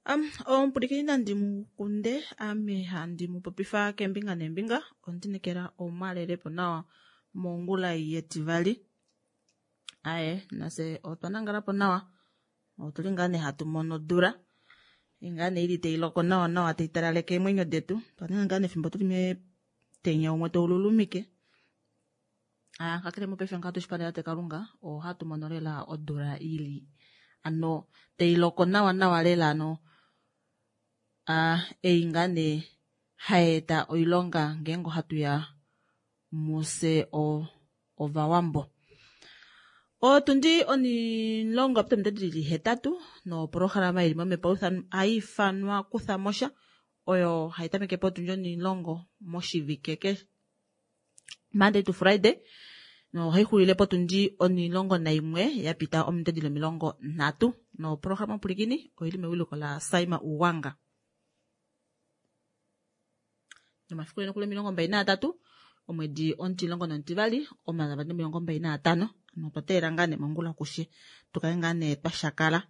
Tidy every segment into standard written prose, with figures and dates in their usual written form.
Omupwilikini nandi mu kunde ame handi mu popifa keembinga neembinga ondinekela omwalelepo nawa mongula yetivali. Aye nafye otwa nangalapo nawa otuli ngaa nee hatu mono odula ngaa nee ili tailoko nawa nawa taitalaleke eemwenyo detu. Otwa ninga ngaa nee efimbo tuli metenya umwe taululumike. Kakele mopaife ngaha tushipandela tate Kalunga ohatu mono lela odula ili ano tailoko nawa nawa lela ano ei ngaa nee hayeeta oilonga ngeenge ohatuya mufye ovawambo. Otundi 10 yapita ominute dili 8 noprograma ili momhepo haiifanwa kuthamosha oyo haitameke potundi 10 moshivike keshe Monday to Friday nohaixulile potundi 11 yapita ominute dili 30 noprograma omupulikini oili mewiliko la Saima Uwanga. Nomafiku nokuli 23 omwedi 12 2025 ano otwa teelela ngaa nee mongula kushe tukale ngaa nee twashakala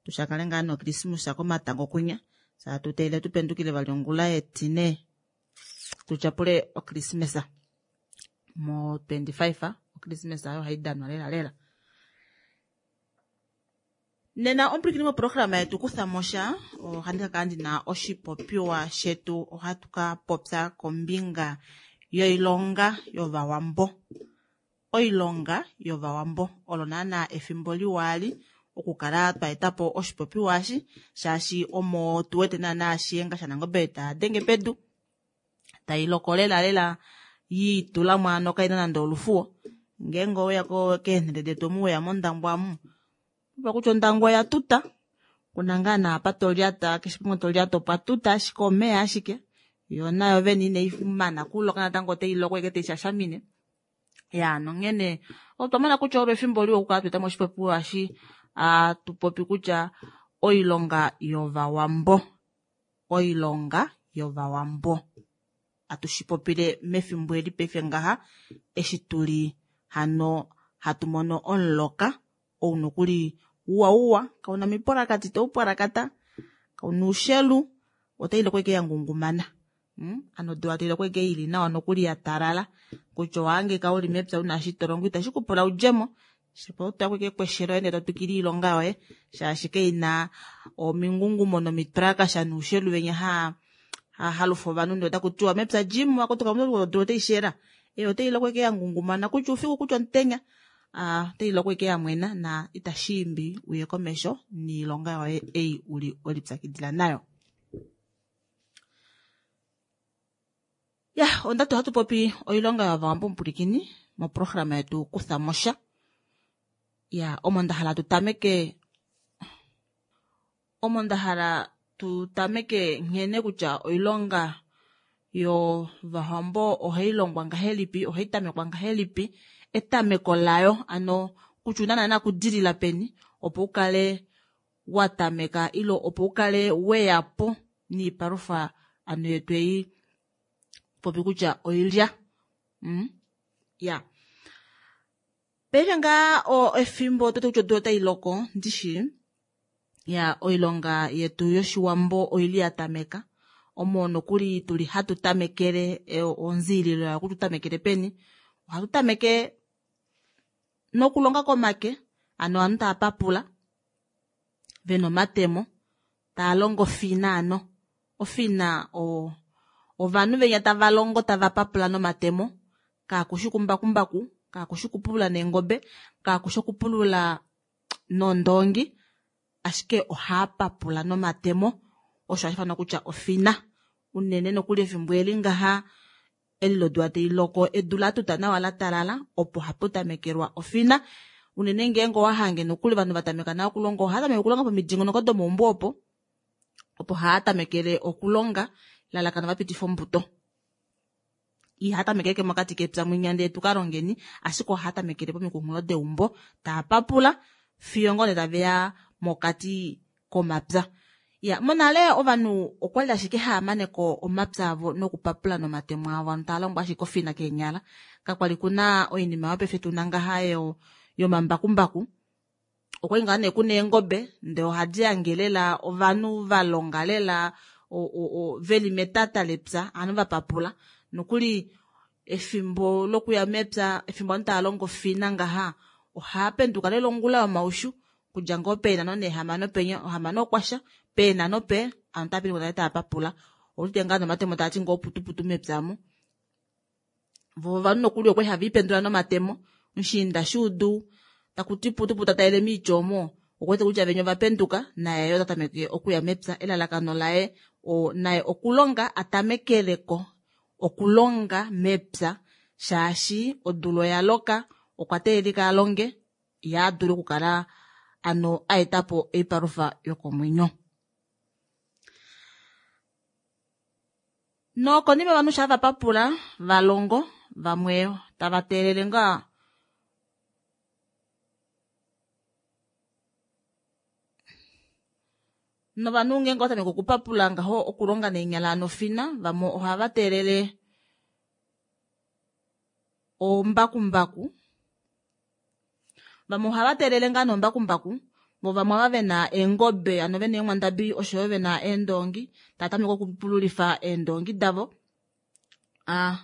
tushakale ngaa nee okrismusa komatango kwinya saa tuteelele tupendukile vali ongula yetine tutyapule okrismesa mo 25 okrismesa oyo haidanwa lela lela. Nena omupulikini moprograma yetu kuthamosha ohandi ka kala ndina oshipopiwa shetu ohatu ka popya kombinga yoilonga yovawambo. Oilonga yovawambo olo naana efimbo liwa ali okukala twa etapo oshipopiwa eshi shaashi omo tuwete naana shiyenga shaNangobe tadenge pedu tailoko lela lela yiitulamo ano kaina nande olufuwo. Ngeenge oweya keenhele detu omu weya mondangwa amu opo kutya ondangwa oya tuta kuna ngaa naapa tolyata keshe pamwe tolyata opwa tuta ashike omeya ashike yoo nayo vene inaimana kuloka natango otailoko ashike taishashamine. Ya nonghene otwa mona kutya olo efimbo liwa okukala twaetamo oshipopiwa eshi atupopi kutya oilonga yovawambo. Oilonga yovawambo atushipopile mefimbo eli paife ngaha eshi tuli hano hatu mono omuloka ou nokuli uwa uwa kauna mipwalakati taupwalakata kauna oushelu otailoko ashike yangungumana. Ano odula tailoko ashike ili nawa nokuli yatalala kutya owahangika uli mepya una eshi tolongo itashi kupula udjemo shapo otoyako ashike kweshelo ndee totwikile oilonga yoye shaashi kaina omingungumo nomitwalakasha noushelu venya halufa ovanhu ndee otakutiwa mepya djimo akuti odula otaishela otailoko ashike yangungumana kutya oufiku kutya omutenya otailoko ashike yamwena na itashiimbi uye komesho noilonga yoye ei uli welipyakidila nayo. Ya ondati ohatu popi oilonga yovawambo omupulikini moprograma yetu kuthamosha. Ya omo ndahala tutameke omo ndahala tutameke nghene kutya oilonga yovawambo ohailongwa ngahelipi ohaitamekwa ngahelipi etameko layo ano kutya una naana okudilila peni opo ukale watameka ile opo ukale weyapo niipalufa ano yetu ei popi kutya oilya. Ya paife ngaa efimbo tote kutya odula otailoko ndishi ya oilonga yetu yoshiwambo oili yatameka omo nokuli tuli hatu tamekele onziililo yayo kutya utamekele peni ohatu tameke nokulonga komake ano ovanhu tava papula vena omatemo taalongo ofina ano ofina ovanhu venya tava longo tava papula nomatemo kakushi kumbakumbaku kakushi okupulula neengobe kakushi okupulula nondoongi ashike ohaapapula nomatemo osho hashiifanwa kutya ofina unene nokuli efimbo eli ngaha eli lodula tailoko edu latuta nawa latalala opo haputamekelwa ofina unene ngeenge owahange nokuli ovanhu vatameka nale okulonga ohaatameke okulonga pomidingonoko domaumbo opo opo haatamekele okulonga elalakano vapitife ombuto. Ihatameke mokati kepya mwinya ndee tukalongeni ashike ohatamekele pomikunghulo deumbo taapapula fiyo ngoo nee taveya mokati komapya. Ya monale ovanhu okwali ashike haamaneko omapya avo nokupapula nomatemo avo ano taalongo ashike ofina keenyala kakwali kuna oinima yopaife tuna ngaha yomambakumbaku. Okwali ngaa nee kuna eengobe ndee ohadi hange lela ovanhu valonga lela veli metata lepya ovanhu vapapula nokuli efimbo lokuya mepya efimbo ovanhu tava longo ofina ngaha ohaapenduka lela ongula yomaushu okudja ngoo peenhano neehamano penya ohamano okwasha peenhano pe ovanhu otava penduka nale tava papula ouwete ngaa nomatemo taati ngoo putuputu mepya omu Vo ovanhu nokuli okwali hava ipendula nomatemo, mushiinda shuudu taku ti putu putu ta talele miitya omo, okuwete kutya venya ova penduka naye yo ota tameke okuya mepya. Elalakano laye o, naye okulonga a tamekeleko okulonga mepya shaashi odula oya loka okwa teelelika a longe ye a dule okukala ano a eta po oipalufa yokomwenyo. Nokonima ovanhu shaa va papula va longo, vamwe tava teelele ngaa novanhu ngeenge ova tameke okupapula ngaho okulonga neenyala nofina, vamwe ohava teelele ombakumbaku. Vamwe ohava teelele ngaa nombakumbaku vo vamwe ava vena eengobe ano vena eenghwandabi oshoyo vena eendoongi tava tameke okupululifa eendoongi davo. Ah.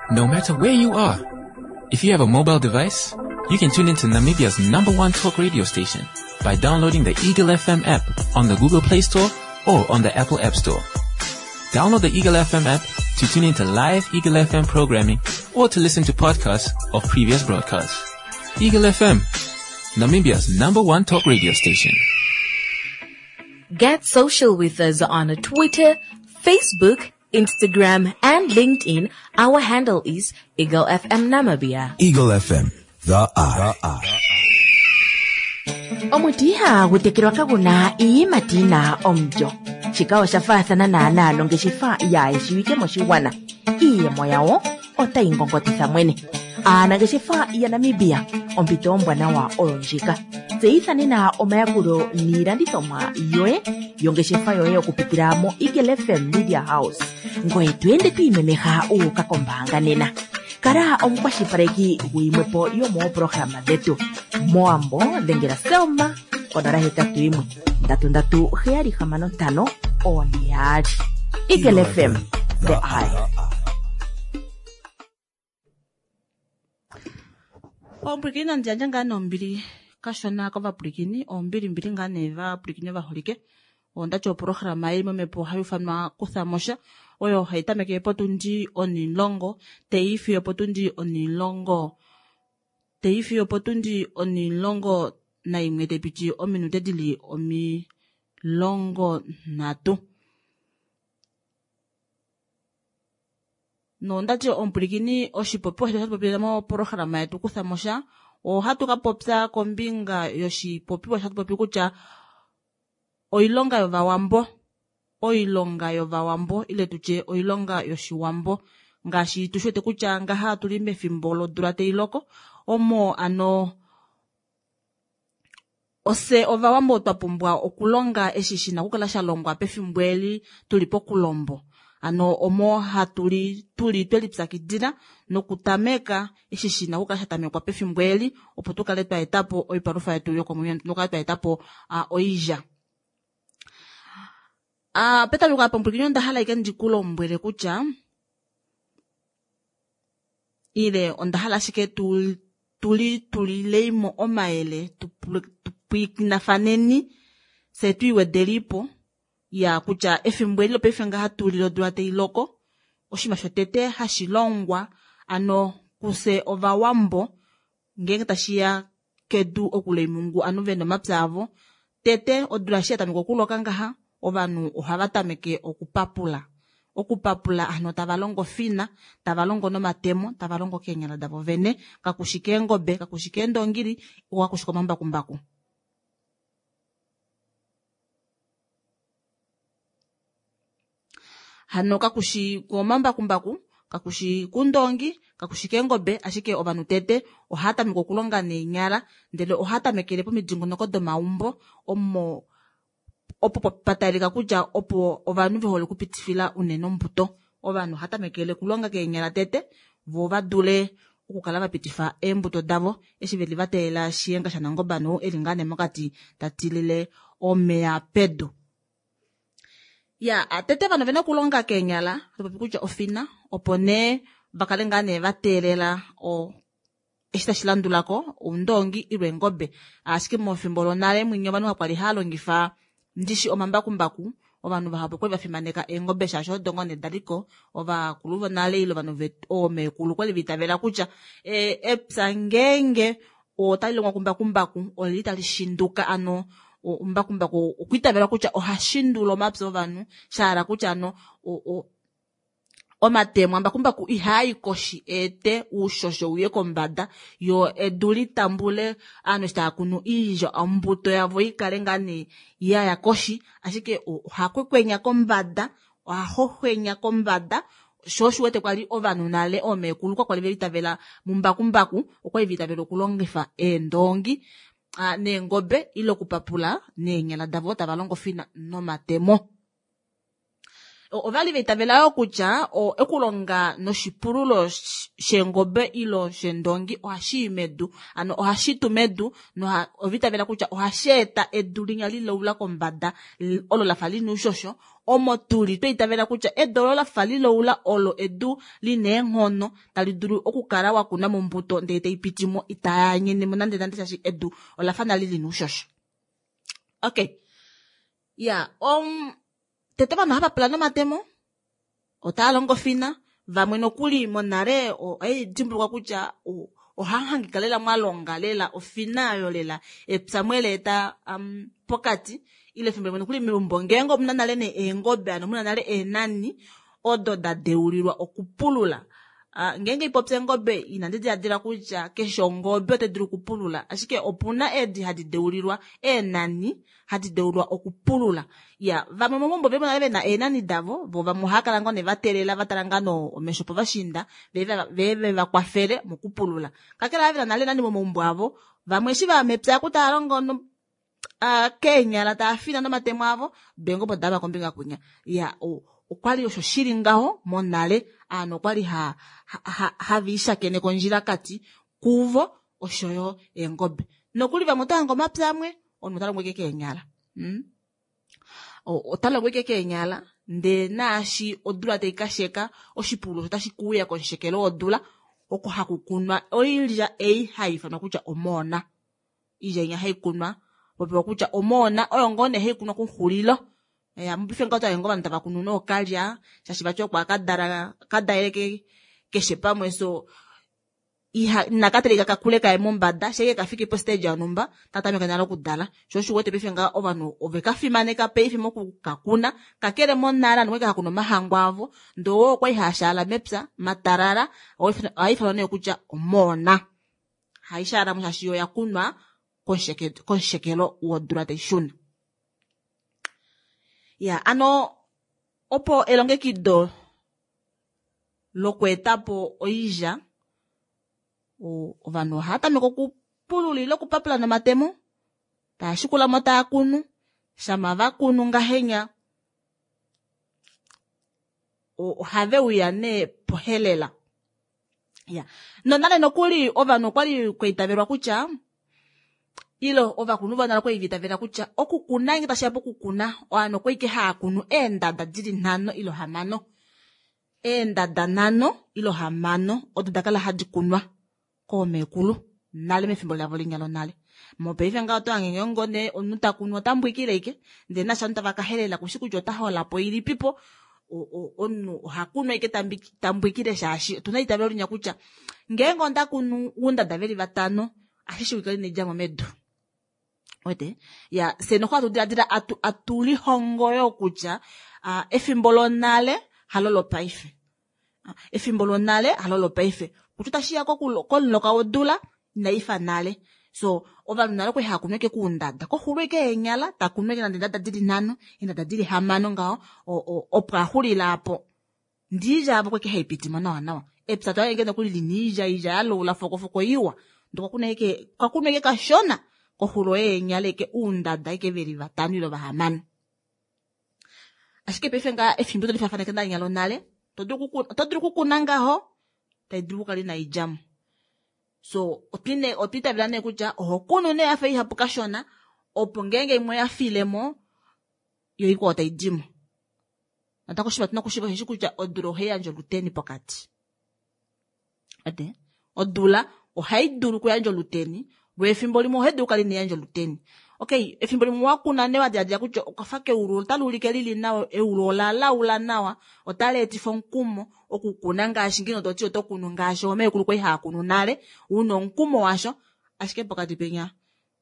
No matter where you are, if you have a mobile device, you can tune into Namibia's number one talk radio station by downloading the Eagle FM app on the Google Play Store or on the Apple App Store. Download the Eagle FM app to tune into live Eagle FM programming or to listen to podcasts of previous broadcasts. Eagle FM, Namibia's number one talk radio station. Get social with us on Twitter, Facebook, Instagram, and LinkedIn. Our handle is Eagle FM Namibia. Eagle FM, the eye. The eye. Omuti ihagu tekelwa kagu na iiyimati yi na omulyo. Shika osha faathana naanaa nongeshefa yaa shiwike moshigwana. Iiyemo yawo otayi ngongotitha mwene. Aanangeshefa yaNamibia, ompito ombwanawa oyo ndjika. Tseyitha nena omayakulo niilandithomwa yoye yongeshefa yoye okupitila moEagle FM Media House. Ngoye to ende to imemeha wu uka kombaanga nena. Kala omukwashilipaleki guyimwepo yomooprograma dhetu. Mowambo dhengela Selma konola 81 33 765 42. Eagle FM, the eye. Omupwilikini nandi yandje ngaa nombili kashona kovapwilikini, ombilimbili ngaa nee vapwilikini ovaholike. Ondati oprograma ei momhepo ohai ufanwa Kuthamosha, oyo hai tameke potundi onimulongo tai fiyo potundi onimulongo tai fiyo potundi onimulongo naimwe tai piti ominute dili 30. Nondati omupwilikini oshipopiwa shetu hatu popile moprograma yetu Kuthamosha, ohatu ka popya kombinga yoshipopiwa hatu popi kutya oilonga yovawambo, oilonga yovawambo ile tutye oilonga yoshiwambo ngaashi tu shiwete kutya ngaha otuli mefimbo lodula tai loko omo ano ofye ovawambo twa pumbwa okulonga eshi shina okukala sha longwa pefimbo eli tuli pokulombo ano omo hatuli tuli twe lipyakidila nokutameka eshi shina okukala sha tamekwa pefimbo eli opo tu kale twa etapo oipalufa yetu yokomwenyo nokukala twa etapo oilya. Petameko apa omupwilikini onda hala ashike ndi ku lombwele kutya ile onda hala ashike tu tuli tulileimo omayele tupwikinafaneni fye twiiwedelipo ya kutya efimbo eli lopaife ngaha tuli lodula tai loko oshinima shotete hashi longwa ano kufye ovawambo ngeenge tashiya kedu oku loimungu ovanhu vena omapya avo tete odula eshi yatameka okuloka ngaha ovanhu ohava tameke okupapula okupapula hano tava longo fina tava longo nomatemo tava longo keenyala davo vene kakushi keengobe kakushi keendongili kakushi komambakumbaku. Hano kakushi komambakumbaku kakushi kundongi kakushi keengobe ashike ovanhu tete ohava tameke okulonga neenyala ndele ohava tamekele pomidingonoko domaumbo omo Opo patalika kutya opo ovanhu ve hole okupitifila unene ombuto. Ovanhu ohava tamekele okulonga keenyala tete voo va dule okukala va pitifa eembuto davo eshi veli va teelela Shiyenga shaNangombe nou eli ngaa nee mokati ta tilile omeya pedu. Ya tete ovanhu ovena okulonga keenyala topopi kutya ofina opo nee va kale ngaa nee va teelela o eshi tashi landula ko oundoongi ile eengobe. Ashike mefimbo lonale mwinya ovanhu kakwali hava longifa ndishi omambakumbaku, ovanhu vahapu okwali va fimaneka eengobe shaashi odo ngoo nee daliko. Ovakulu vonale ile ovanhu oomeekulu okwali va itavela kutya epya ngeenge otali longwa kumbakumbaku olili tali shinduka, ano mbakumbaku okwa itavelwa kutya oha shindula omapya ovanhu, sha hala kutya ano omatemo ambakumbaku ihaa i koshi eete uushosho uye kombada yo edu li tambule aanhu eshi tava kunu iilya ombuto yavo i kale ngaa nee yaya koshi, ashike oha kwekwenya kombada, oha hohwenya kombada. Sho osho wete kwali ovanhu nale oomeekulu kwa kwali ve litavela mumbakumbaku, okwali ve itavela okulongifa eendoongi neengobe ile okupapula neenyala davo tava longo fina nomatemo. Ovali va itavela yoo kutya okulonga noshipululo sheengobe ile shendongi ohashi i medu, ano ohashi tu medu, noha ova itavela kutya ohashi eta edu linya lilaula kombada olo lafa lina oushosho, omo tuli twa itavela kutya edu olo lafa lilaula olo edu lina eenghono tali dulu okukala wa kuna mombuto ndele tai pitimo itaya nyenemo nande nande shaashi edu olafa nale lina oushosho. Okay. Ya, tete ovanhu ohava pula nomatemo, otava longo fina, vamwe nokuli monale ohai dimbulukwa kutya oha hangika lela mwa longa lela ofina oyo lela epya mwele eta pokati ile efimbo limwe nokuli meumbo ngeenge omuna nale nee eengobe ano muna nale eenani odo da deulilwa okupulula. Ngeenge ipopya eengobe inandi diladila kutya keshe ongobe otai dulu okupulula, ashike opuna eedi hadi deulilwa eenani hadi deulwa okupulula. Ya, vamwe momaumbo veli nale vena eenani davo, vo vamwe ohava kala ngoo nee va teelela va tala ngaa no omesho povashiinda ve va kwafele mokupulula. Kakele ava vena nale eenani momaumbo avo, vamwe eshi vaya mepya oku tava longo keenyala tava fina nomatemo avo, do eengobe odava kombinga kwinya. Ya, okwali osho shili ngaho monale, aanhu okwali hava ishakeneke ondjilakati kuvo oshoyo eengobe. Nokuli vamwe ota hange omapya amwe, omunhu ota longo ike keenyala. Ota longo ike keenyala, ndee naashi odula tai kasheka, oshipululo otashi kuuya komushekelo wodula, oko haku kunwa oilya ei hai ifanwa kutya omoona. Iilya inya hai kunwa, popiwa kutya omoona oyo ngoo nee hai kunwa kuxulilo. Ya, mupife ngaho otaye ngoo ovanhu tava kunu nookalya, shaashi vati oko akadala, kadalele keshe pamwe, so iha inaka teleka kakule kaye mombada, sheke kafiki po stage yonhumba, tatameke nale okudala. Sho osho uwete paife ngaho ovanhu ove ka fimaneka paife mokukakuna, kakele monale ovanhu okwali hakuna omahangu avo, ndoo oo okwali haashaala mepya, matalala, ohai ifanwa nee kutya omoona. Hai shaalamo shaashi oya kunwa komushekelo wodula tai shuna. Ya, ano opo elongekido lokweetapo oilya, ovanhu ohava tameke okupulula ile okupapula nomatemo, tava shikulamo tava kunu, shama va kunu ngahenya ohave uya nee pohelela. Ya, nonale nokuli ovanhu okwali kwa itavelwa kutya ile ovakulunhu vonale okwali va itavela kutya okukuna ngeenge tashiya pokukuna ovanhu okwali ike hava kunu eendada dili 5 ile 6. Eendada 5 ile 6 odo da kala hadi kunwa koomeekulu nale mefimbo lavo linya lonale. Mopaife ngaho oto hange ngoo nee omunhu ta kunu ota mbwikile ike, ndele naashi ovanhu tava ka helela kushi kutya ota holapo ilipipo, omunhu oha kunu ike tambwikile shaashi otuna eitavelo linya kutya ngeenge onda kunu oundada veli 5 ashi shiwike lina idjamo medu. Wete? Ya, fye noho hatu diladila atu lihongo yo kutya efimbo lonale halo lopaife. Efimbo lonale halo lopaife. Kutya otashi ya komuloka wodula inaifa nale. So ovanhu nale okwali hava kunu ike kuundada, koxulo ike eenyala ta kunu ike nande eendada dili 5, eendada dili 6 ngaho, opo axulila apo. Ndiilya avo kweke haipitimo nawa nawa. Epya to hange nokuli lina iilya, iilya ya laula fokofoko iwa. Ndele okwa kunwa ike kashona koxulo yeenyala ike uundada ike veli 5 ile 6. Ashike paife ngaa efimbo toli faafaneke nalinya lonale, oto dulu okukuna ngaho, tai dulu okukala inai djamo. So otwa itavela nee kutya oho kunu nee yafa ihapu kashona, opo ngeenge imwe oya filemo, yo ikwao tai dimo. Natango oshinima tuna okushiiva osheshi kutya odula ohai yandje oluteni pokati. Ate, odula ohai dulu okuyandja oluteni, lwo efimbo limwe ohai dulu okukala inai yandja oluteni. Okay, efimbo limwe wa kuna nee wa diladila kutya okafa keulu otali ulike lili nawa, eulu ola laula nawa, otali etifa omukumo okukuna ngaashi ngeno toti oto kunu ngaashi oomekulu kwali hava kunu nale, una omukumo washo, ashike pokati penya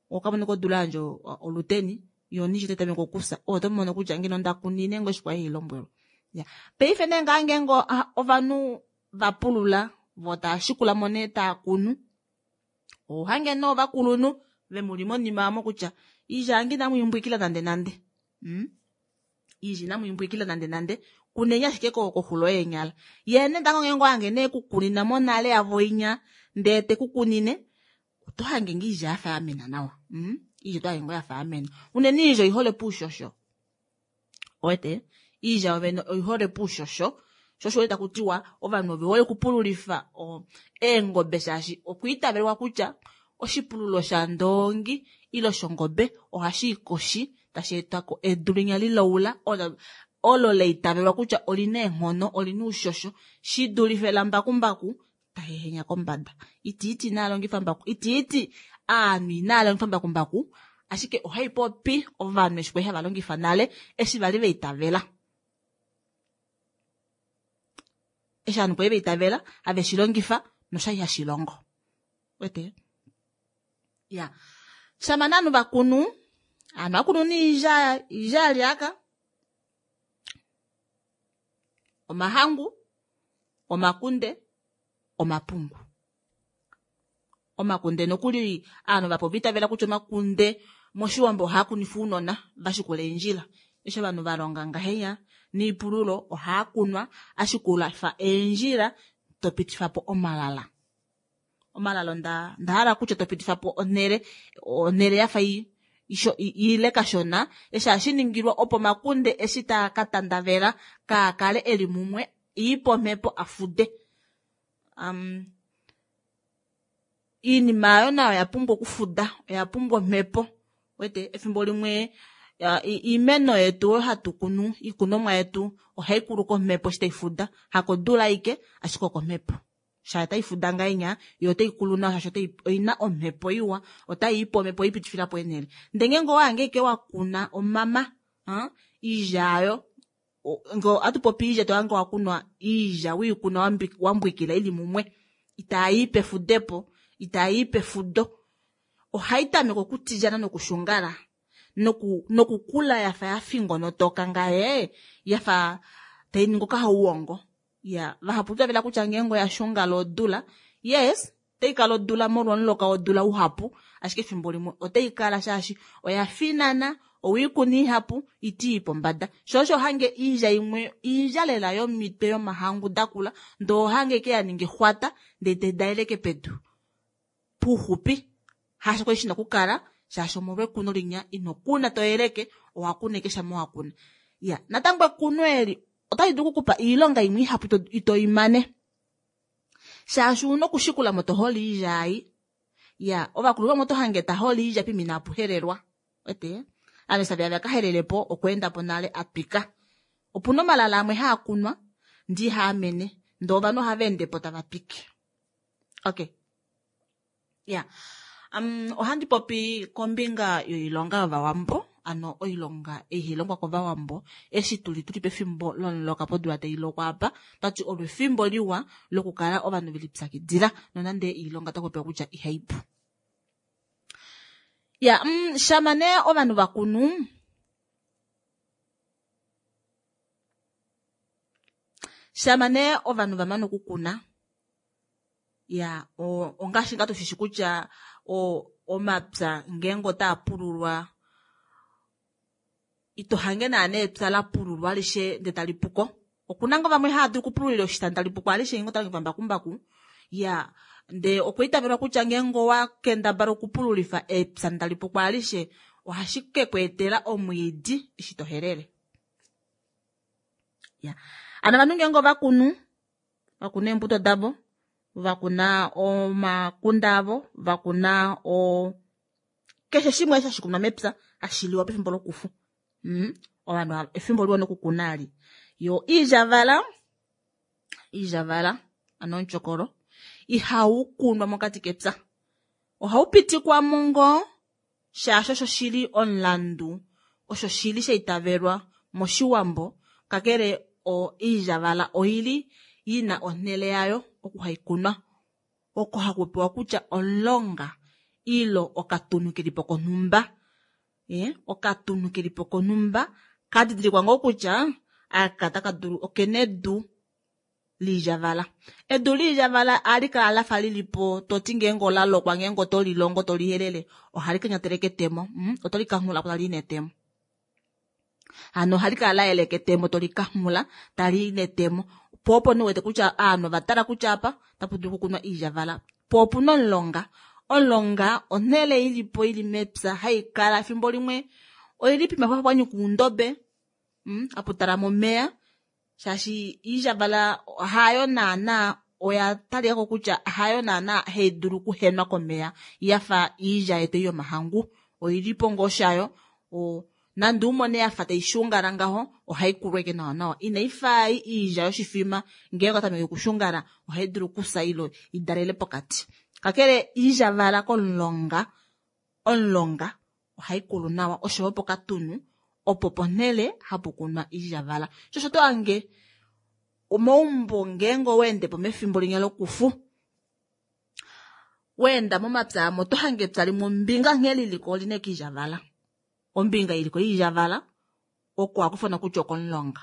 okamona kodula yandja oluteni, yo nishi otai tameke okufya, oto mono kutya ngeno nda kunine ngoo eshi kwali hailombwelwa. Ya. Paife nee ngaa ngeenge ovanhu va pulula, vo tava shikula mo nee tava kunu, ohange nee ovakulunhu vemuli monima omo kutya iilya yange inamu imbwikila nande nande. Iilya inamu imbwikila nande nande, kuneni ashike koxulo yeenyala. Ye nee tango ngeenge ohange nee kukunina mo nale yavo inya, ndee te ku kunine, oto hange ngoo iilya yafa yamena nawa. Iilya oto hange ngoo yafa yamena. Unene iilya oihole poushosho. Owete? Iilya yovene oihole poushosho. Sho osho taku tiwa ovanhu ove hole okupululifa eengobe shaashi okwiitavelwa kutya oshipululo shandoongi ile shongobe ohashi i koshi tashi eta ko edu linya lilaula olo laitavelwa kutya olina eenghono, olina oushosho shi dulife lambakumbaku tahehenya kombada. Itiiti inaa longifa mbaku, itiiti aanhu inaa longifa mbakumbaku, ashike ohai popi ovanhu eshi kwali hava longifa nale eshi vali vaitavela. Eshi ovanhu kwali vaitavela have shi longifa noshali hashi longo. Wete? Ya. Shama nee ovanhu vakunu, aanhu vakunu niilya, iilya yalyaka, omahangu, omakunde, omapungu. Omakunde nokuli aanhu vapo vitavela kutya omakunde moshiwambo ohaa kunifa ounona vashikula eendjila. Eshi ovanhu valonga ngahenya niipululo ohaa kunwa ashikulafa eendjila topitifa po omalala. Omalala onda hala kutya topitifa po onhele, onhele yafa ile kashona, eshi hashi ningilwa opo omakunde eshi taa ka tandavela kaa kale eli mumwe iipe omhepo afude. Iinima ayo nayo oya pumbwa okufuda, oya pumbwa omhepo. Wete efimbo limwe iimeno yetu oyo hatu kunu, iikunomwa yetu ohai kulu komhepo eshi tai fuda, hakodula aike ashike okomhepo. Shaashi otai fuda ngahenya, yo otai kulu nawa shaashi oina omhepo iwa, otai ipe omhepo ipitifila po eenhele. Ndele ngeenge owa hange ashike wa kuna omama, iilya ayo, nge ohatu popi iilya to hange wa kunwa iilya wiikuna wambwikila ili mumwe, itai pefudepo, itai pefudo, ohai tameke okutilyana nokushungala nokukula yafa ya fingonotoka ngaye, yafa tai ningi okahauwongo. Ya, vahapu tavela kutya ngeenge oya shungala odula, yes, otai kala odula molwa omuloka wodula uhapu, ashike efimbo limwe otai kala shaashi oya finana, owiikuna ihapu, iti pombada. Sho osho hange iilya imwe, iilya lela yomitwe yomahangu dakula, ndoo ohange ke ya ningi xwata, ndee te daeleke pedu. Puxupi, hasho kwali shina okukala, shaashi omolwekuno linya, ino kuna to yeleke, owa kuna eke shama wa kuna. Ya, natango ekuno eli, otali dulu okukupa iilonga imwe ihapu ito imane. Shaashi una okushikula mo to hole iilya ai. Ya, ovakulu vamwe oto hange ta hole iilya pimina apuhelelwa. Wete? Ame savi ave akahelele po okweenda po nale atwika. Opuna omalala amwe haa kunwa, ndi haamene, ndee ovanhu ohava ende po tava twike. Okay. Ya. Ohandi popi kombinga yoilonga yovawambo, ano oilonga ei hai longwa kovawambo, eshi tuli tuli pefimbo lomuloka podula tai lokwa apa, tati olo efimbo liwa lokukala ovanhu velipyakidila, nonande oilonga otaku popiwa kutya ihai pu. Ya, shama nee ovanhu vakunu, shama nee ovanhu vamane okukuna, ya, ongaashi ngaa tushishi kutya omapya ngeenge otaa pululwa, ito hange naana epya la pululwa alishe ndee tali puko. Okuna ngoo vamwe hava dulu okupululila oshitanda tali puko alishe ngeenge ota longifa mbakumbaku. Ya, ndee okwa itavelwa kutya ngeenge owa kendabala okupululifa epya tali puko alishe, ohashi ke ku etela omwiidi eshi to helele. Ya ano ovanhu ngeenge ovakunu, vakuna eembuto davo, vakuna omakunda avo, vakuna o keshe shimwe eshi hashi kunwa mepya hashi liwa pefimbo lokufu. Ovanhu efimbo liwa nokukuna ali. Yo iilyavala, iilyavala ano omutyokolo ihau kunwa mokati kepya. Ohau pitikwa mo ngoo shaashi osho shili omulandu, osho shili sha itavelwa moshiwambo, kakele oilyavala oili ina onhele yayo oku hai kunwa, oko haku pewa kutya omulonga ilo okatunu kelipo konhumba. Okatunu kelipo konhumba kadidilikwa ngoo kutya aka taka dulu okena edu liilyavala. Edu liilyavala ohali kala lafa lilipo toti ngeenge ola lokwa ngeenge oto lilongo to lihelele ohali kanyatele ketemo, oto likanghula po tali i netemo. Hano ohali kala la yeleka etemo to likanghula tali i netemo. Po opo nee wete kutya ovanhu ova tala kutya apa otapu dulu okukunwa iilyavala. Po opuna omulonga. Omulonga onhele ilipo ili mepya hai kala efimbo limwe oili pima pwa nyuka oundobe, hapu talama omeya shaashi iilyavala hayo naana oya talikako kutya hayo naana hai dulu okuhenwa komeya yafa iilya yetu yomahangu. Oilipo ngoo shayo, nande umone yafa tai shungala ngaho ohai kulwa ike nawa nawa. Inai fa iilya yoshifima ngeenge otameke okushungala ohai dulu okusa ilo idalele pokati. Kakele iilyavala komulonga, omulonga ohai kulu nawa oshoyo pokatunu opo ponhele hapu kunwa iilyavala. Sho to hange omaumbo ngeenge oweende po mefimbo linya lokufu, weenda momapya amo oto hange epya limwe ombinga nghee liliko olina eke iilyavala. Ombinga iliko iilyavala oko hakufana kutya okomulonga.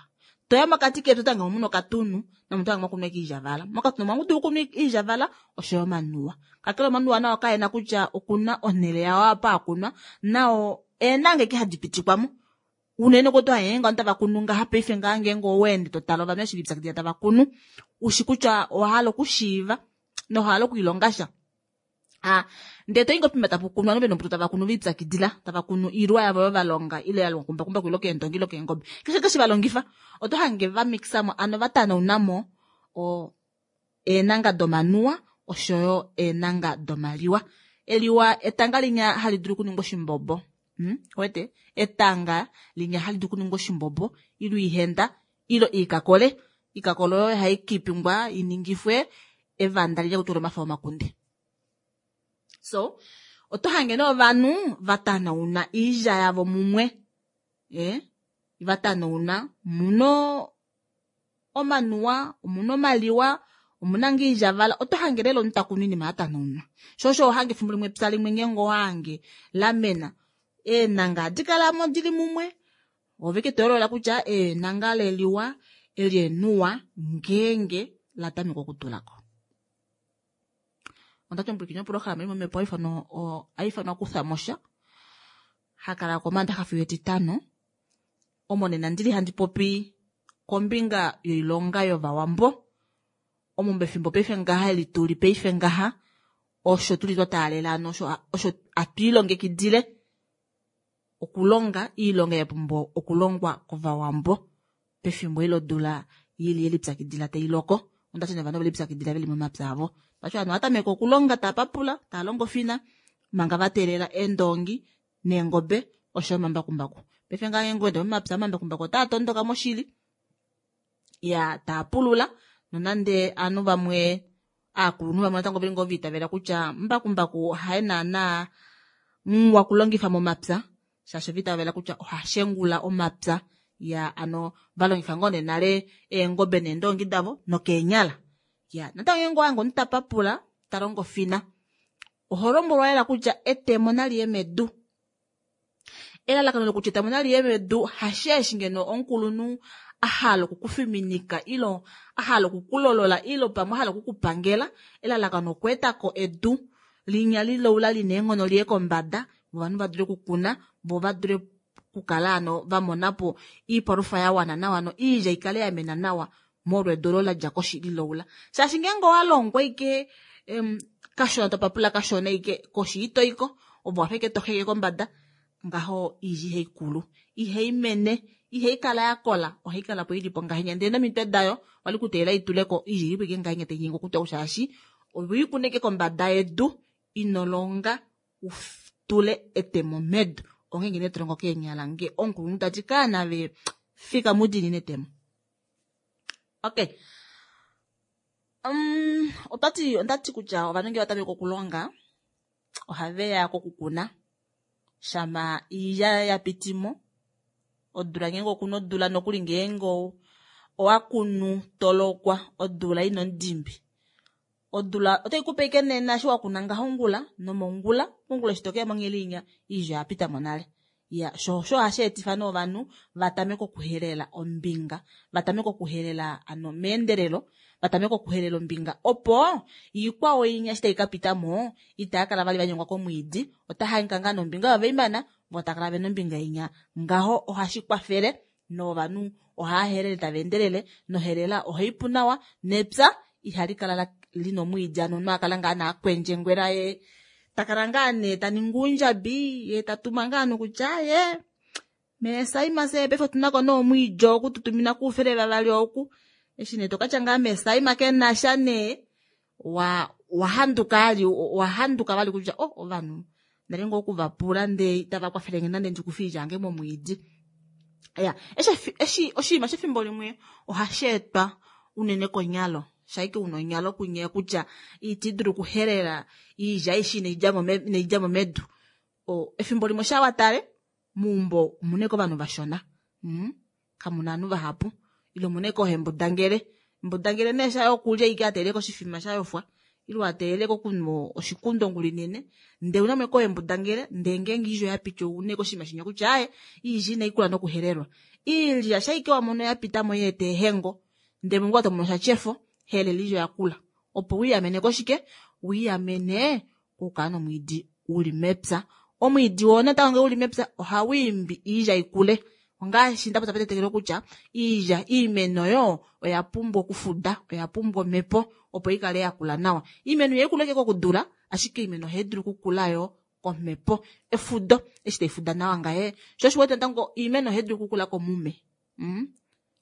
Toya mokati kepya oto hange muna okatunu nomuntu hange mwakunwa eke iilyavala. Mokatunu omwa dulu okunwa iilyavala oshoyo omanuwa. Kakele omanuwa nao kaena kutya okuna onhele yao apa akunwa, nao eenanga eke hadi pitikwamo. Unene ko to hange ngeenge tava kunu ngaha paife ngaa ngeenge oweende to tala ovanhu eshi lipyakidila tava kunu, ushi kutya owa hala okushiiva nowa hala okwiilonga sha. Ndee toyi ngoo pima tapu kunwa nove nombuto tava kunu vipyakidila, tava kunu iilwa yavo yo valonga ile ya longwa kumbakumbaku ile keendongi ile keengobe, keshe keshe valongifa oto hange va mixamo ano va tanaunamo eenanga domanuwa oshoyo eenanga domaliwa. Eliwa etanga linya hali dulu okuningwa oshimbombo. Wete etanga linya hali dulu okuningwa oshimbombo ilo ihenda ilo iikakole. Iikakole oyo hai kipingwa iningifwe evanda lilya kutula omafa omakunde. So oto hange nee ovanhu va tanauna iilya yavo mumwe, va tanauna muno omanuwa, omuna omaliwa, omuna ngee iilyavala. Oto hange lela omuntu takunu iinima ya tanaunwa. Sho osho ohange efimbo limwe epya limwe ngeenge owahange lamena, eenanga ohadi kalamo dili mumwe, ove ke toyoolola kutya eenanga leliwa eli enuwa ngeenge la tameka okutulako. Ondati omupwilikini woprograma imwe omhepo haifanwa kutha mosha, hakala komandaxa fiyo etitano, omo nena ndili handi popi kombinga yoilonga yovawambo. Omo mefimbo paife ngaha eli tuli paife ngaha osho tuli twa taalela ano osho atwiilongekidile okulonga iilonga ya pumbwa okulongwa kovawambo pefimbo ilo dula yili yelipyakidila tai loko. Ondati novanhu velipyakidila veli momapya avo. Pacho ovanhu ovatameka okulonga tava papula, tava longo fina manga va teelela eendongi neengobe oshoyo omambakumbaku. Paife ngaha ngeenge oweende momapya omambakumbaku otaa tondoka moshili, ya taa pulula, nonande ovanhu vamwe aakulunhu vamwe natango veli ngoo viitavela kutya mbakumbaku haye naana muwa okulongifa momapya, shaashi oviitavela kutya oha shengula omapya. Ya ano valongifa ngoo nee nale eengobe neendongi davo nokeenyala. Ya natango ngeenge owahange omuntu ta papula ta longo fina, oho lombwelwa lela kutya etemo nali ye medu. Elalakano lokutya etemo nali ye medu hasheeshi ngeno omukulunhu a hala okukufiminika ilo a hala okukulolola ilo pamwe a hala okukupangela. Elalakano okweetako edu linya liloula lina eenghono liye kombada, vo ovanhu va dule okukuna, vo va dule okukala ano va monapo iipalufa ya wana nawa no iilya ikale ya mena nawa molwa edu olo la dja koshi liloula. Shaashi ngeenge owa longwa ike kashona topapula kashona ike koshi itoiko, ove wafa ike toheke kombada, ngaho iilya ihai kulu, ihai mene, Ihai kala ya kola, ohai kala po ili po ngahenya ndele nomitwe dayo wali kuteelela ituleko ili po ike ngahenya tai nyengwa okutwa shaashi owiikuneke kombada yedu ino longa u tule etemo medu. Onghee ngene to longo keenyala nge omukulunhu tati kaana ve fika mudiinine etemo. Okay. Otwati ondati kutya ovanhu ngee va tameke okulonga ohave ya kokukuna shama iilya ya pitimo odula ngeenge okuna odula nokuli ngeenge owa kunu tolokwa odula ina omudimbi odula otai kupe ike nena eshi wakuna ngaho ongula nomongula mongula eshi tokeya mongheli inya iilya oya pitamo nale. Ya sho osho hashi etifa nee ovanhu va tameke okuhelela ombinga, va tameke okuhelela ano meendelelo, va tameke okuhelela ombinga opo iikwao inya eshi tai ka pita mo itaya kala vali va nyengwa komwiidi, ota hangika ngaa nombinga oyo veimana vo tava kala vena ombinga inya. Ngaho ohashi kwafele novanhu ohava helele tava endelele nohelela ohai pu nawa nepya ihali kala lina omwiidi ano omunhu akala ngaa naakwendjengwela ye ta kala ngaa nee ta ningi uundjabi ye ta tuma ngaa nokutya ye meesaima se paife otuna ko nee omwiidi oku tutumina kuufele vavali oku eshi nee tokatya ngaa meesaima ke na sha nee wa wahanduka ali wahanduka vali kutya oh ovanhu ndali ngoo oku va pula ndee itava kwafele nge nande ndi kufe oilya yange momwiidi. Ya eshi eshi oshinima shefimbo limwe ohashi etwa unene konyalo shaike una onyalo kunye kutya iti dulu okuhelela iilya aishe inai dja mo medu. Efimbo limwe sha watale meumbo omuna ashike ovanhu vashona kamuna ovanhu vahapu ile omuna ashike oohembudangele. Embudangele nee shaye okulya ashike a teeleka oshifima sha yofwa ile a teeleka okunwa oshikundo ongula inene ndee ounamo ashike oohembudangele ndee ngeenge oilya oya piti ouna ashike oshinima shinya kutya aaye oilya inai kula nokuhelelwa. Oilya shaike wa mono ya pitamo ya eta eehengo ndee mongula tomono sha tyefo helela oilya oya kula opo wiiamene koshike wiiamene kokukala nomwiidi uli mepya. Omwiidi woo natango ngee uli mepya ohau imbi iilya ikule. Ongaashi nda popya petetekelo kutya iilya iimeno yo oya pumbwa okufuda, oya pumbwa omhepo opo ikale yakula nawa. Iimeno ihai kulu ashike kokudula, ashike oimeno ohai dulu okukula yo komhepo. Efudo eshi tai fuda nawa ngaye sho osho uwete natango iimeno ohai dulu okukula komume.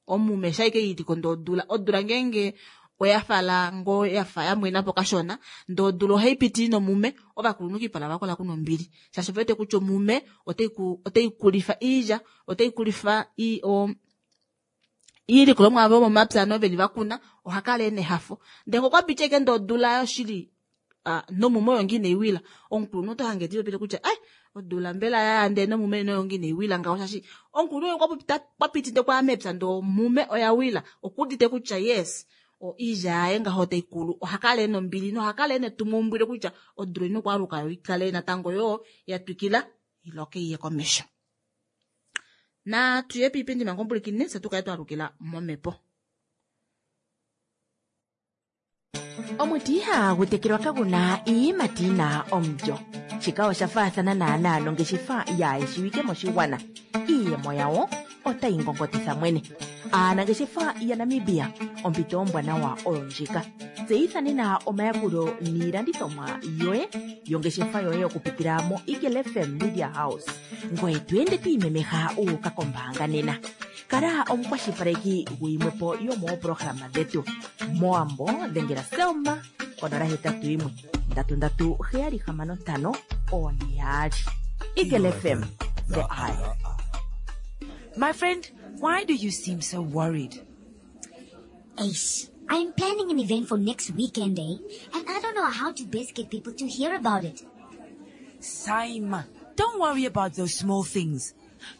Omume shaike ili ko ndee odula, odula ngeenge oya fala ngoo yafa ya mwena po kashona ndee odula ohai piti ina omume, ovakulunhu kiipala vakola kuna ombili shaashi ove wete kutya omume otai kulifa iilya, otai kulifa iilikolomwa yavo yomomapya ano veli vakuna, oha kala ena ehafo. Ndee ngee okwa piti ashike ndee odula yoshili nomume oyo ngoo inai wila, omukulunhu oto hange telipopile kutya ai odula mbela yaya ndee nomume oyo ngoo inai wila ngaho shaashi omukulunhu okwa piti ndee okwaya mepya ndee omume oya wila okuudite kutya yes oilya yaye ngaho otai kulu oha kala ena ombili noha kala ena etumwaumbwile kutya odula oina okwaaluka yo ikale natango yoo ya twikila iloke iye komesho. Natu ye piipindi manga omupulikini fye tukale twalukila momhepo. Omuti ihaagu tekelwa kagu na iiyimati yi na omulyo. Shika osha faathana naanaa nongeshefa yaayeshiwike moshigwana. Iiyemo yawo otayi ngongotitha mwene. Aanangeshefa yaNamibia, ompito ombwanawa oyo ndjika. Tseyitha nena omayakulo niilandithomwa yoye yongeshefa yoye okupitila moEagle FM Media House. Ngoye to ende to imemeha wu uka kombaanga nena. Kala omukwashilipaleki guyimwe po yomooprograma dhetu. Mowambo dhengela Selma konola hetatu yimwe ndatu ndatu heyali hamano ntano one yaali. Eagle FM, the eye. My friend, why do you seem so worried? Ace, I'm planning an event for next weekend, eh? And I don't know how to best get people to hear about it. Saima, don't worry about those small things.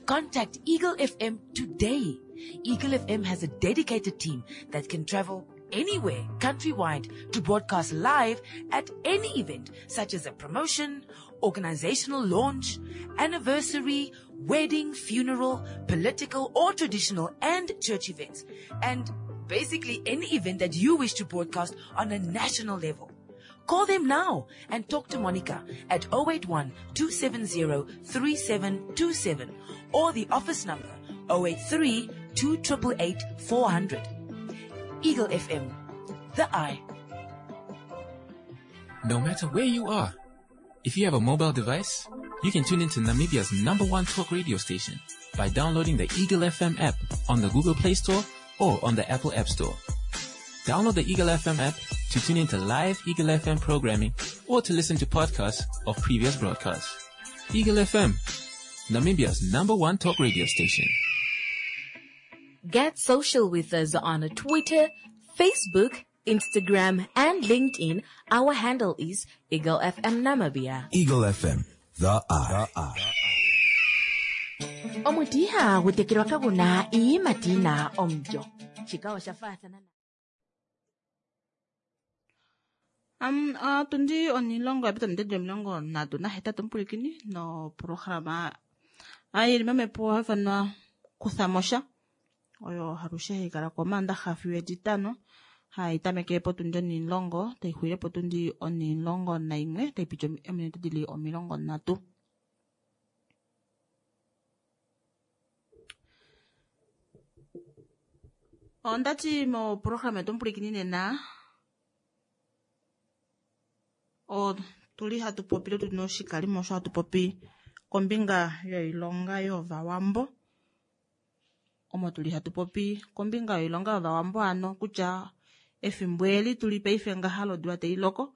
Contact Eagle FM today. Eagle FM has a dedicated team that can travel anywhere countrywide to broadcast live at any event, such as a promotion, organizational launch, anniversary, wedding, funeral, political or traditional and church events, and basically any event that you wish to broadcast on a national level. Call them now and talk to Monica at 081-270-3727 or the office number 083-2888-400. Eagle FM, the eye. No matter where you are, if you have a mobile device, you can tune into Namibia's #1 talk radio station by downloading the Eagle FM app on the Google Play Store or on the Apple App Store. Download the Eagle FM app to tune into live Eagle FM programming or to listen to podcasts of previous broadcasts. Eagle FM, Namibia's number one talk radio station. Get social with us on Twitter, Facebook, Instagram, and LinkedIn. Our handle is Eagle FM Namibia. Eagle FM, the eye. Omuti ihagu tekelwa kagu na iiyimati yi na omulyo. Shika osha faathana na. Um, otundi onilongo ya pita omitatu 38 omupulikini noprograma yili momhepo haifanwa Kuthamosha oyo halushe haikala komaandaxa fiyo etitano hai tameke potundi onilongo taixulile potundi 11 taipiti ominute dili 30. Ondati moprograma yetu omupulikini nena otuli hatu popi tuli noshikalimo osho hatu popi kombinga yoilonga yovawambo omo tuli hatu popi kombinga yoilonga yovawambo ano kutya efimbo eli tuli paife ngaha lodula tailoko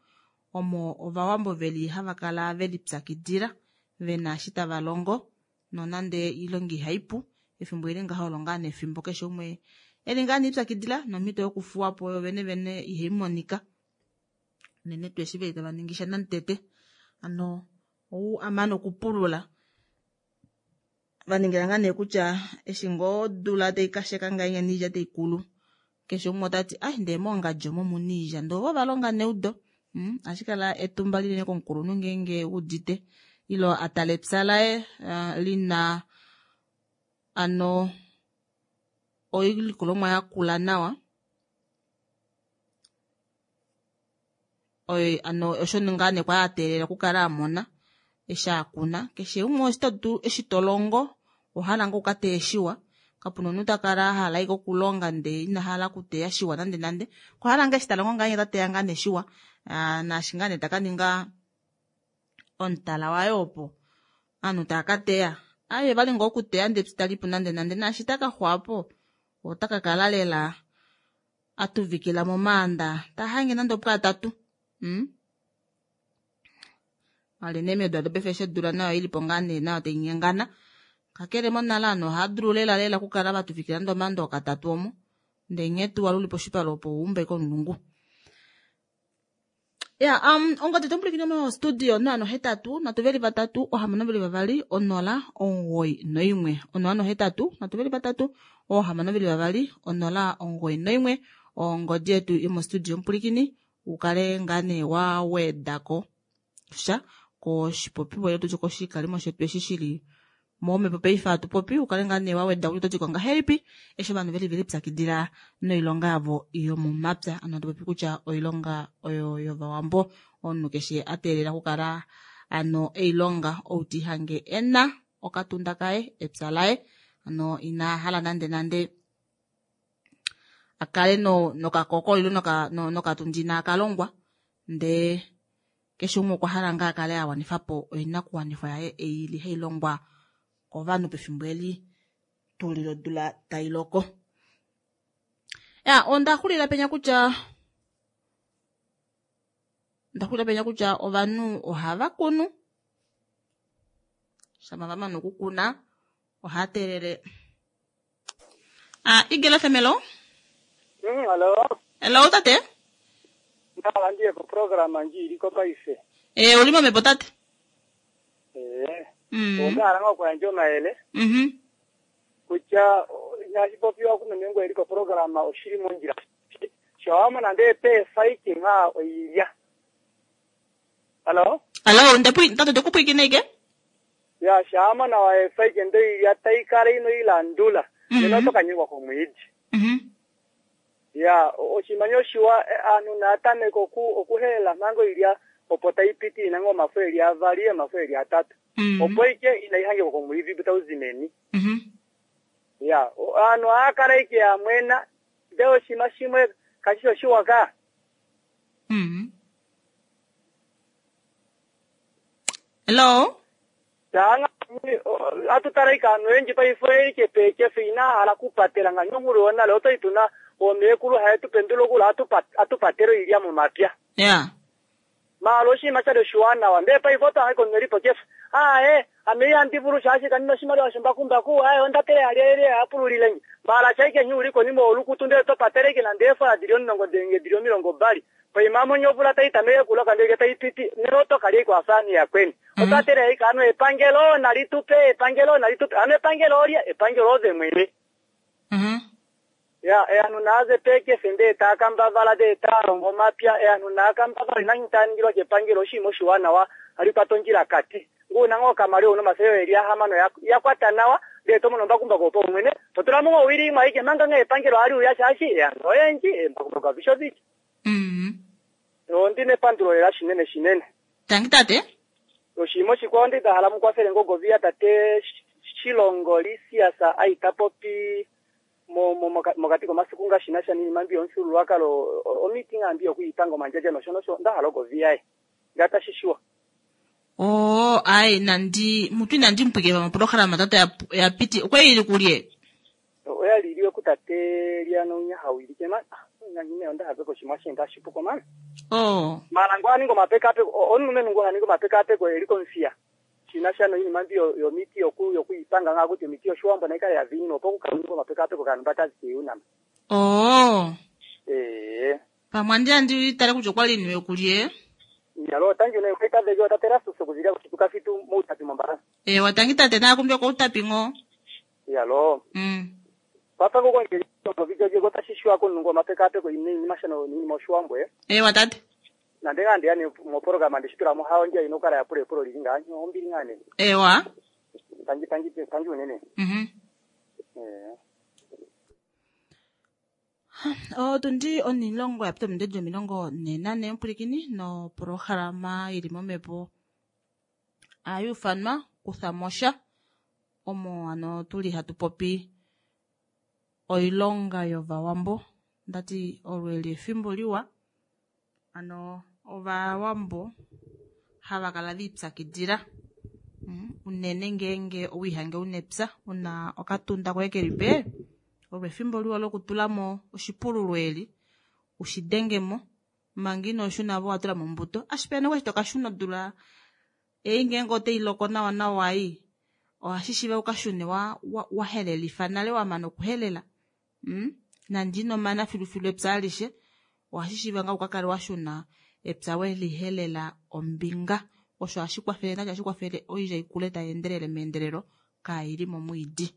omo ovawambo veli hava kala velipyakidila vena eshi tava longo nonande oilonga ihaipu efimbo eli ngaha olo ngaa nefimbo keshe umwe eli ngaa neipyakidila nomhito yokufuwapo yo vene vene ihaimonika unene tuu eshi veli tava ningi sha namutete ano ou amana okupulula vaningila ngaa nee kutya eshi ngoo odula taikasheka ngahenya noilya taikulu keshe umwe otati ai ndee mongadji omo omuna oilya ndee ovo valonga neudo ohashi kala etumba linene komukulunhu ngeenge udite ilo atale epya laye lina ano oilikolomwa yakula nawa ano osho ngaa nee kwali ateelela okukala amona eshi akuna keshe umwe eshi tolongo owahala ngoo ukateye shiwa kapuna omunhu takala ahala ashike okulonga ndee inahala okuteya shiwa nande nande okwahala ngoo eshi talongo ngahenya otateya ngaa nee shiwa naashi ngaa nee takaninga omutala waye opo ovanhu tava kateya aaye vali ngoo okuteya ndee epya italipu nande nande naashi takaxwapo otakakala lela atuvikila momaanda tahange nande opwaatatu Alene meedula dopaife eshi odula nayo ilipo ngaa nee nayo tainyengana kakele monale ovanhu ohadulu lela lela okukala vatuvikila nande omaanda okatatu omo ndee nghee tuu wali uli poshipale opo owaumba komulungu. Ya ongodi tomupulikini mo studio 083 3 6 2 0 91 083 3 6 2 0 91 ongodi yetu yomostudio omupulikini ukale ngaa nee wawedako sha koshipopiwa ile tutye koshikalimo shetu eshi shili momhepo paife hatu popi ukale ngaa nee waweda kutya ototi ko ngahelipi eshi ovanhu veli velipyakidila noilonga yavo yomomapya ano hatu popi kutya oilonga oyo yovawambo omunhu keshe ateelela okukala ano eilonga ou tihange ena okatunda kaye epya laye ano ina hala nande nande akale nokakoko ile nokatunda ina kalongwa ndee keshe umwe okwa hala ngaa akale awanifapo oinakuwanifwa yaye ei ili hailongwa kovanhu pefimbo eli tuli lodula tailoko. Ya onda xulila penya kutya ovanhu ohava kunu shama vamana okukuna ohava teelele Eagle FM hello. Hello. Hello tate. Ndiye ko program ndji iliko paife. Uli momhepo tate. Onda hala okuyandja omayele. Kutya inashi popiwa kumeme ngo iliko program oshili mondjila. Shawamona ndee peefaiki nga oilya. Hello. Hello, tate ndekupwikine ike? Ya shawamona waefaiki ndo ilya taikala ino ilandula. Nena otokanyengwa komwiidi. Ya oshimanyo shiwa anu natameka okuhelela mhango ilya opo taipiti inango omafo eli avali omafo eli atatu. Opo ike inaihange komwiidi butauzimeni. Ya anu akala ike amwena ndee oshima shimwe kashisho shiwa ka. Hello. Tanga Atu tala ike aantu oyendji paife oyeli kepeekefe inaa hala okupatela ngaashi onkulu yonale otwali tuna oomeekulu haye tu pendula okula atu patele oilya momapya. Ya. Maala oshinima shali oshiwanawa ndele paife otwa hange komunhu elipo kefe. Aaye ame ihandi vulu shaashi kandi na oshimaliwa shombakumbaku, aaye onda tele hali hapululile nge. Maala shaike nghee uli konima yolukutu ndele to patele ike nande eefola dili 10 nenge dili 20. Poima monye ovula tai tameke okuloka ndele tai piti nena oto kalya ike wafa ovanhu yakweni. Otwa tele ike anu epangelo nali tupe, epangelo nali tupe. Anu epangelo olye? Epangelo ove mwene. Ya, eanhu naaze peekefe ndee taa kambavala ndee taa longo omapya, eanhu naa kambavala inanyu taa ningilwa kepangelo oshinima oshiwanawa hali kwata ondjila kati. Ngee una ngoo okamaliwa una omafele eli ahamano ya kwata nawa ndee to mono ombakumbaku opaumwene to tula mo ngoo owili imwe aike manga ngee epangelo hali uya shaashi eanhu oyendji eembakumbaku avishe odili. Ondi nepandulo lela shinene shinene. Tangi tate. Oshinima oshikwao ndi nda hala mu kwafele ngoo Goviya tate Shilongo Lisias aita popi mokati komasiku nga shi na sha niinima mbi yomufyuululwakalo, omiti ngaa mbi yokwiipanga omandjandja nosho nosho, onda hala ogovi yaye nga tashi shiwa. Oo, ai nandi mutu inandi mu pwikila moprograma tata ya piti. Okwa ili kulye? Oya li iliwe kutate Liana unya hawilike man. Nganyine onda have koshimwa she ngashi puko man. Oh. Mara ngo aningo mapekapeko, omulumenhu ngo aningo mapekapeko eli komufia. Shina sha noinima mbi yomiti yokuipanga ngaa kuti omiti yoshiwambo naikale ya viinwa opo kukalunga mapekapeko kanhu batazi unama. Oh. Eh. Pamwe andi andi tale kutya okwa li niwe kulye. Nyalo tangi ne kwita vejo tatera susu kuzilia kuchituka fitu moutapi mombara. Eh, watangi tate na kumbe kwa utapi ngo. Yalo. Papa ngo ngeli ngo video je gota shishwa ko nungo mapekapeko ine ni mashano ni moshiwambo eh. Eh, watate. Na ndenga ndi yani mo program ndi shitula mo hawo nje inokala ya pule pule linga nyo ombili ngane. Ewa. Tangi tangi tangi unene. Eh. Otundi onilongo ya pita mindejo milongo nenane mpulikini no programa ili momepo ayufanwa kuthamosha omo ano tuli hatu popi oilonga yovawambo ndati olweli efimbo liwa ano ovawambo hava kala viipyakidila unene ngeenge owiihange unepya una okatunda koye keli pe olwo efimbo liwa lokutulamo oshipululo eli ushidengemo manga ino shuna vo watula mo ombuto ashike pena eshi tokashuna odula ei ngeenge otai loko nawa nawa ei ohashi shiiva ukashune wa helelifa nale wamana okuhelela nande ino mana filufilu epya alishe ohashi shiiva nga ukakale washuna epya welihelela ombinga osho hashi kwafele nasho hashi kwafele oilya ikule tai endelele meendelelo kaili momwiidi.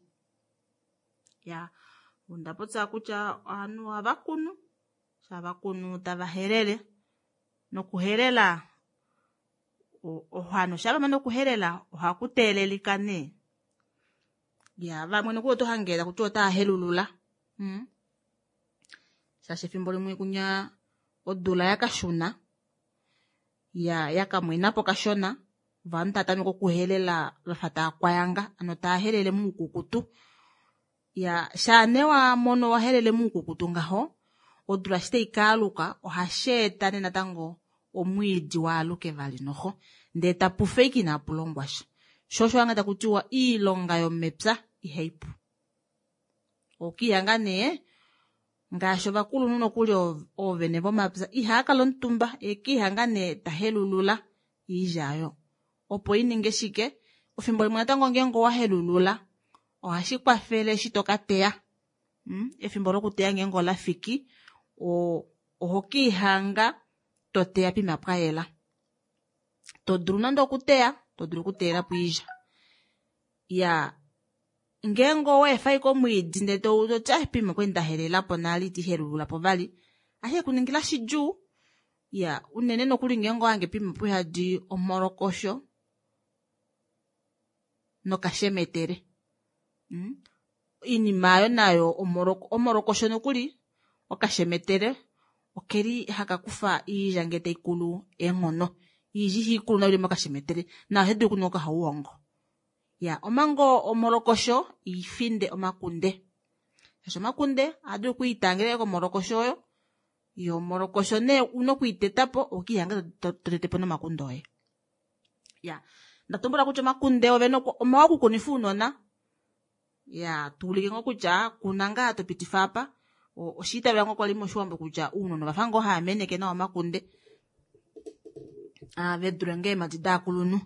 Ya, onda popya kutya ovanhu ohava kunu, shava kunu tava helele nokuhelela ohano shava mana okuhelela ohaku teelelika nee. Ya, vamwe nokuli oto hangela kutya otava helulula. Shaashi efimbo limwe kunya odula yakashuna ya yakamwenapo kashona ovanhu tava tameke okuhelela vafa tava kwayanga ano tava helele muukukutu. Ya, shaane wa mono wa helele muukukutu ngaho odula shi tai kaaluka ohashi eta nee natango omwiidi waaluke vali noho ndee tapu fe ike inapu longwa sha. Sho osho hanga taku tiwa iilonga yomepya ihai pu. Okiihanga nee ngaashi ovakulunhu nokuli oovene vomapya ihava kala omutumba ekiihanga nee tahelulula iilya oyo opo i ninge shike efimbo limwe natango ngeenge owa helulula ohashi kwafele eshi toka teya. Efimbo lokuteya ngeenge ola fiki oho kiihanga to teya pima pwa yela. To dulu nande okuteya, to dulu okuteyela po iilya. Ya, ngeenge owa efa ashike omwiidi ndele toti pima okwali nda helela po nale iti helulula po vali ashike kuningila shidjuu. Ya, unene nokuli ngeenge owange pima puhadi omholokosho nokashemetele. Iinima ayo nayo omholokosho nokuli okashemetele okeli haka kufa iilya ngee taikulu eenghono. Iilya ihaikulu nayo ili mokashemetele nayo ohayi dulu okuninga okahauhongo. Ya, omango omholokosho ifinde omakunde. Shaashi omakunde ohadulu okwiitangelela komholokosho oyo. Yo omholokosho nee una okuiteta po okiihanga to tete po nomakunde oye. Ya, Ndatumbula kutya omakunde ovene omawa okukunifa ounona. Ya tuulike ngoo kutya kuna ngaa topitifa apa. Oshiitavela ngoo kwali moshiwambo kutya ounona ovafa ngoo hava meneke nawa omakunde. Vedule ngoo eemadi daakulunhu.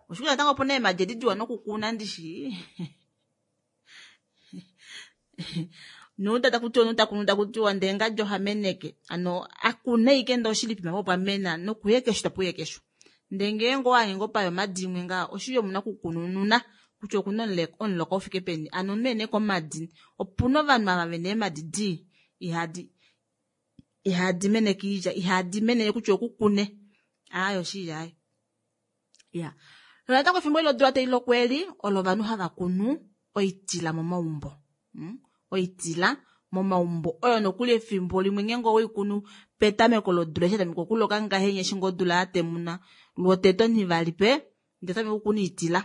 Oshikuti natango opuna eemadi edi diwa nokukuna ndishi. Nuuta takutiwa omunhu takunu takutiwa ndee ngadi oha meneke. Ano akune ashike ndee oshili pima opo pwamena nokuye kesho tapuye kesho. Ndee ngeenge owahange ngoo paya omadi imwe ngaho oshili omuna okukunununa kutya okuna omuloka ufike peni. Ano omunhu ene komadi opuna ovanhu ava vena eemadi dii ihadi meneke oilya ihadi mene kutya okukune. Aaye oshili aaye. Ya. Natango efimbo eli lodula tai loko eli olo ovanhu hava kunu oitila momaumbo. Oitila momaumbo oyo nokuli efimbo limwe ngeenge oweikunu petameko lodula eshi yatameka okuloka ngahenya eshi ngoo odula yatemuna lwotete onhivali pe ndee otameka okukuna oitila.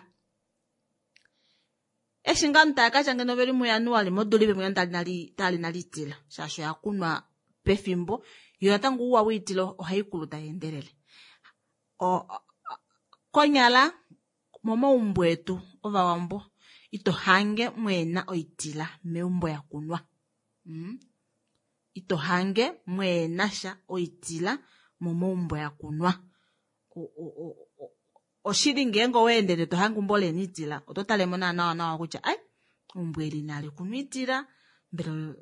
Eshi ngaa ovanhu tava katya ngeno oveli muJanuali modula ipe mwiya tali nale oitila shaashi oya kunwa pefimbo yo natango ouwa woitila ohaikulu tai endelele. Konyala momaumbo etu ovawambo ito hange mweena oitila meumbo yakunwa. Ito hange mweena sha oitila momaumbo yakunwa. Oshili ngeenge oweendele to hange eumbo leena oitila oto talemo naa nawa nawa kutya ai eumbo eli inali kunwa oitila mbela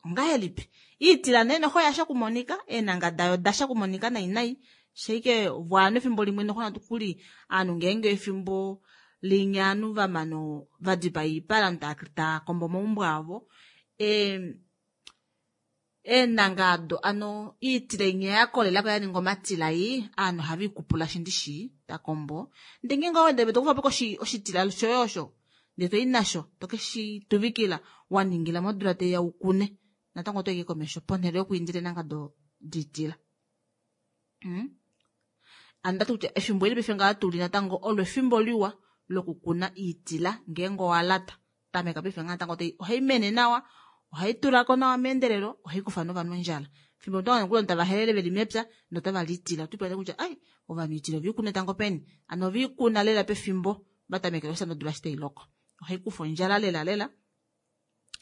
ongahelipi. Iitila nee noxo oyasha okumonika eenanga dayo odasha okumonika nai nai shaike ovanhu efimbo limwe noxo natukuli ovanhu ngeenge efimbo linya ovanhu vamana vadipa oipala ovanhu taakombo omaumbo avo eenanga ado ano iitila inya yakolelako yaninga omatila ei ovanhu ohave ikupula shindishi takombo ndee ngeenge oweendele tokufapo oshitila shoye osho ndee toi nasho tokeshi tuvikila waningila modula taiya ukune natango otoike komesho ponhele yokwiindila eenanga diitila. Ano ndati kutya efimbo eli paife ngaha tuli natango olo efimbo liwa lokukuna iitila ngeenge owalata tameka paife ngaha natango ohai mene nawa ohai tulako nawa meendelelo ohai kufa novanhu ondjala. Fimbo ovanhu tava helele veli mepya notava li iitila otwiipula kutya ai ovanhu iitila oveikuna tango peni ano oveikuna lela pefimbo vatamekela oshitanda odula eshi tailoko. Ohai kufa ondjala lela lela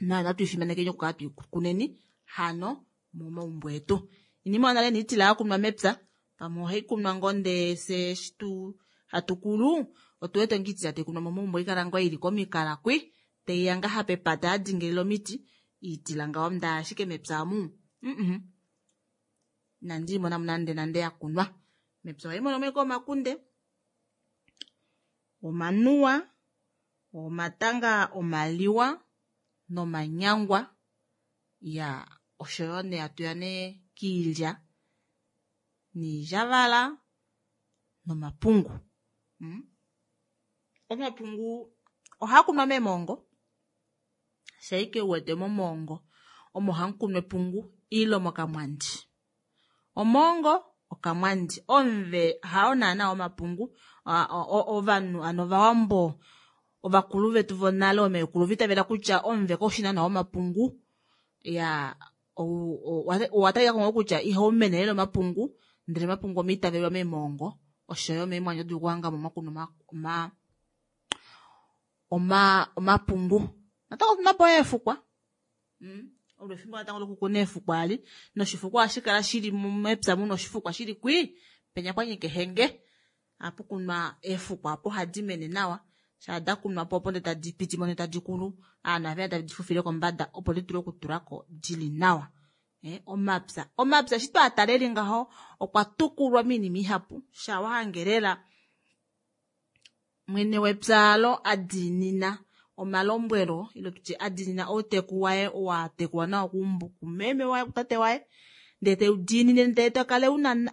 nayo natu ifimanekeni okukala tuikuneni hano momaumbo etu. Inima nale niitila yakunwa mepya pamwe ohai kunwa ngoo ndee fye eshi hatukulu otu wete ngoo iitila taikunwa momaumbo oikala ngoo ili komikala kwi taiya ngaha pepata yadingilila omiti iitila ngaho ndaa ashike mepya amu inandi imona nande nande yakunwa mepya ohai mono mo omakunde omanuwa omatanga omaliwa nomanyangwa ya oshoyo nee hatuya nee kiilya niilyavala nomapungu. Omapungu ohaa kunwa meemongo shaike uwete momongo omo hamukunwa epungu ile mokamwandi. Omongo okamwandi omve hao naana omapungu ovanhu ano ovawambo ovakulu vetu vonale omeekulu vitavela kutya omve kaushi naana omapungu ya owatalika ngoo kutya ihaumene lela omapungu ndele omapungu omaitavelwa meemongo oshoyo meemwandi oto dulu okuhangamo mwakunwa omapungu. Natango otunapo eefukwa. Olo efimbo natango lokukuna eefukwa ali noshifukwa ohashi kala shili mepya muna oshifukwa shili kwi penya pwanyika ehenge ohapu kunwa eefukwa opo hadi mene nawa shaa dakunwa po opo ndee tadi pitimo ndee tadi kulu ovanhu ohaveya tave di fufile kombada opo didule okutulako dili nawa. Omapya omapya eshi twaatala eli ngaho okwa tukulwa moinima ihapu shaa wahange lela mwene wepya alo adiinina omalombwelo ile tutye adiinina outeku waye owatekulwa nawa kumeme waye kutate waye ndee teudiinine ndee tokala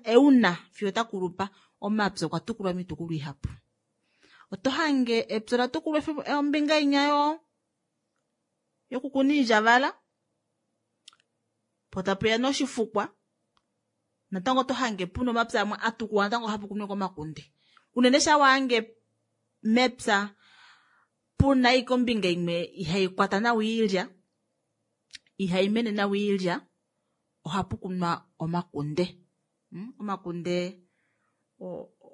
euna fiyo takulupa. Omapya okwa tukulwa moitukulwa ihapu. Oto hange epya olatukulwa ombinga inya yokukuna iilyavala po tapuya noshifukwa natango oto hange puna omapya amwe atukulwa natango hapu kunwa komakunde. Unene shaa wahange mepya puna ashike ombinga imwe ihaikwata nawa oilya ihaimene nawa oilya ohapu kunwa omakunde. Omakunde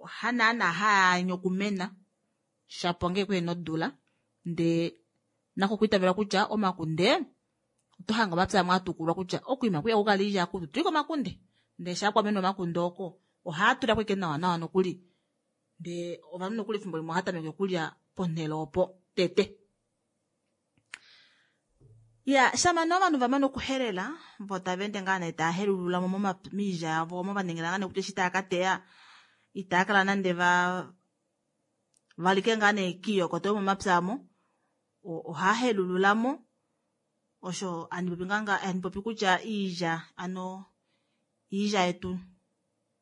Hanaana haanya okumena shapo ngee kuhena odula ndee nako okwiitavela kutya omakunde oto hange omapya amwe atukulwa kutya okuima kwiya kukala iilya akutu tuliko omakunde ndee shaa kwamene omakunde oko ohaa tulako ashike nawa nawa nokuli ndee ovanhu nokuli efimbo limwe ohaa tameke okulya ponhele opo tete. Ya shama nee ovanhu vamane okuhelela vo tava ende ngaa nee tava helulula mo moilya yavo omo va ningila ngaa nee kutya eshi tava ka teya itava kala nande va valike ngaa nee kiiyokoto yomomapya amo ohaa helulula mo osho handi popi ngaa handi popi kutya iilya ano iilya yetu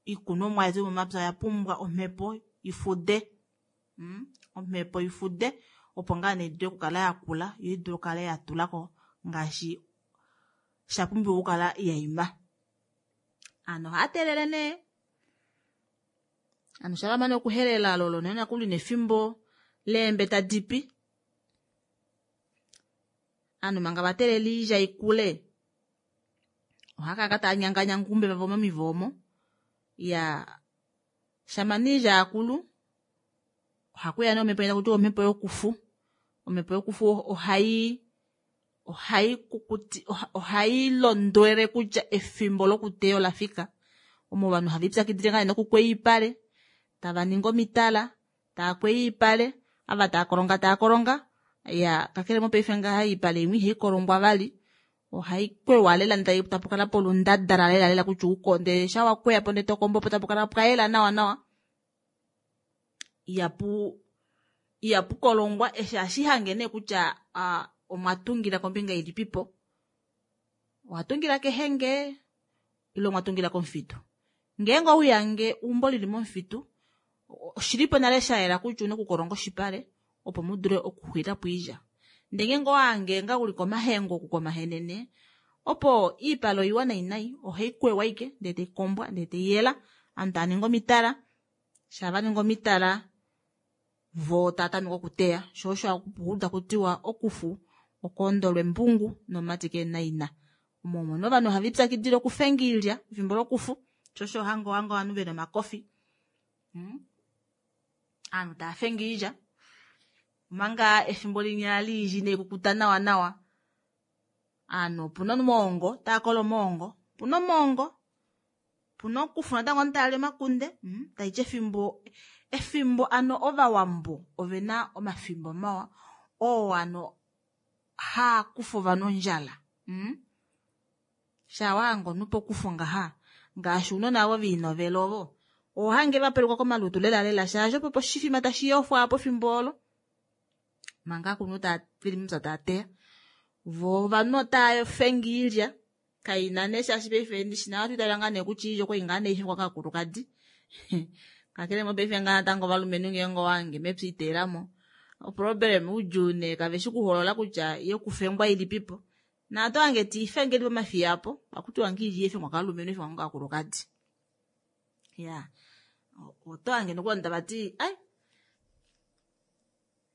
iikunomwa yetu yomomapya oya pumbwa omhepo ifude hmm? Omhepo ifude opo ngaa nee idule okukala ya kula yo idule okukala ya tulako ngaashi sha pumbiwa okukala ya ima. Ano ohaya teelele nee ano sha vamane okuhelela lolo nee nakuli nefimbo leembe tadi pi Ovanhu manga va teelela oilya ikule, ohava kala tava nyanganyanga oumbe vavo momivo omo. Iyaa, shama nee oilya yakulu, ohakuya nee omhepo taku tiwa omhepo yokufu. Omhepo yokufu ohai ohai kukuti ohai londwele kutya efimbo lokuteya ola fika. Omo ovanhu have lipyakidile ngaa nee nokukweya oipale, tava ningi omitala, Tava kweya oipale, ava tava kolonga tava kolonga. Ya kakele mopaife ngaha oipale imwe ihai kolongwa vali. Ohai kweywa lela ndele tapu kala polundadala lela lela kutya ukonde sha wa kweya po ndele to kombo po tapu kala pwa yela nawa nawa. Ihapu ihapu kolongwa eshi ohashi hange nee kutya omwa tungila kombinga ilipipo. Owa tungila kehenge ile omwa tungila komufitu. Ngeenge ouyange eumbo lili momufitu, oshilipo nale sha yela kutya una okukolonga oshipale opo mu dule okuxwila po oilya. Ndee ngeenge owa hange nga uli komahengo oku komahenene, opo oipale oiwa nai nai, ohai kweywa ashike ndee tai kombwa ndee tai yela, ovanhu tava ningi omitala, shaa va ningi omitala voo tava tameke okuteya, shoo osho haku takutiwa okufu okoondolwa embungu nomumati kehena ina. Omo omo nee ovanhu have lipyakidile okufenga oilya efimbo lokufu, sho osho hanga ohanga ovanhu vena omakofi. Hmm? Ovanhu tava fenge oilya omanga efimbo linya liilya inai kukuta nawa nawa. Ovanhu opuna omoongo tava kola omoongo, opuna omoongo, opuna okufu natango ovanhu tava li omakunde. Hmm? Taiti efimbo efimbo ano ovawambo ovena omafimbo mawa oo ano haa kufa ovanhu ondjala. Hmm? Shaa wa hanga omunhu pokufu ngaha, ngaashi ounona ovo veinovela ovo, oho hange va peluka komalutu lela lela shaashi opo poshifima tashi yofwa apo efimbo olo. Manga aakulunhu tava veli mepya tava teya. Vo ovanhu otava fenge oilya, kaina nee shaashi paife ndishi nawa ohatu itavela ngaa nee kutya oilya okwali ngaa nee haifengwa kaakulukadi. Kakele mopaife ngaa natango ovalumenhu ngeenge owa hange mepya iteelamo, oproblem oudjuu nee kaveshi kuholola kutya yokufengwa ilipipo. Naatu hange tiifengeli pomafiya apo, akutiwa nge iilya ifengwa kaalumenhu ifengwa ngaakulukadi. Ya, oto hange nokuli tava ti ai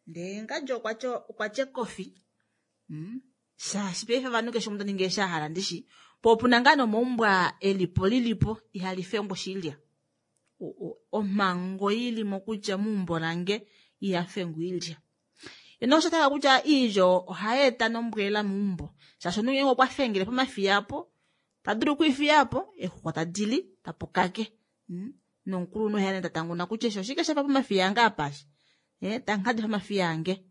ndee ngadjo okwa tya ekofi. Hmm? Shaashi paife ovanhu keshe omunhu ta ningi eshi a hala ndishi. Po opuna ngaa nomaumbo aa elipo lilipo ihali fengwa oshilya. Omhango ilimo kutya meumbo lange iha fengwa oilya. Ye nosho taka kutya iilyo ohai eta nombwela meumbo shaashi omunhu ngeenge okwa fengele pomafiya apo ta dulu okwiifiya apo eexuxwa tadi li tapu kake hmm? Nomukulunhu ohe ya ta tanguna kutya eshi oshike shafa pomafiya ange apa eshi eh, tanghadi pomafiya ange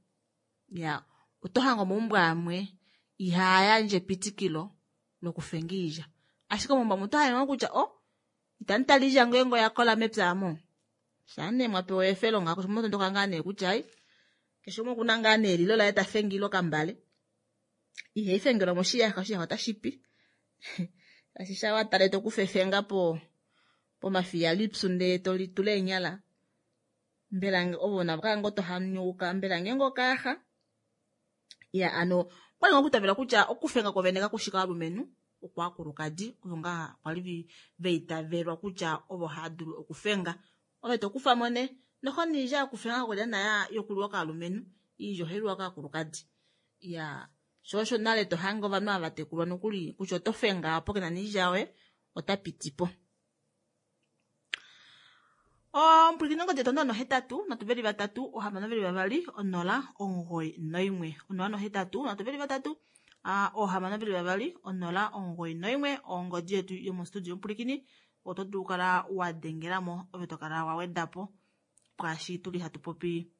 ya oto hange omaumbo amwe ihaa yandje epitikilo lokufenga iilya ashike omaumbo amwe oto hange kutya o oh, itandi tala iilya ngeenge oya kola mepya amo Shaa nee mwa pewa efelo ngaho keshe umwe otondoka ngaa nee kutya ai keshe umwe okuna ngaa nee elilo laye ta fengile okambale. Ihai fengelwa moshiyaxa, oshiyaxa otashi pi. Shaashi shaa wa tale to kufa efenga po pomafiya lipyu ndee to litula eenyala mbela ove navo kala ngoo to hanyauka mbela ngeenge okayaxa. Ya ano okwali ngoo okutavela kutya okufenga kwovene kakushi kovalumenhu okwaakulukadi ovo ngaa kwali va itavelwa kutya ovo hava dulu okufenga. Ove to kufa mo nee noho niilya yokufenga kakwali naana yokuliwa kovalumenhu, iilya ohai liwa kaakulukadi. Ya sho osho nale to hange ovanhu ava tekulwa nokuli kutya oto fenga opo kena niilya yoye ota piti po. Ompwilikini ongodi yetu 083 3 6 2 091 083 3 6 2 091 ongodi yetu yomostudio ompwilikini oto dulu kala wa dengelamo ove to kala wa wedapo kwaashi tuli hatu popi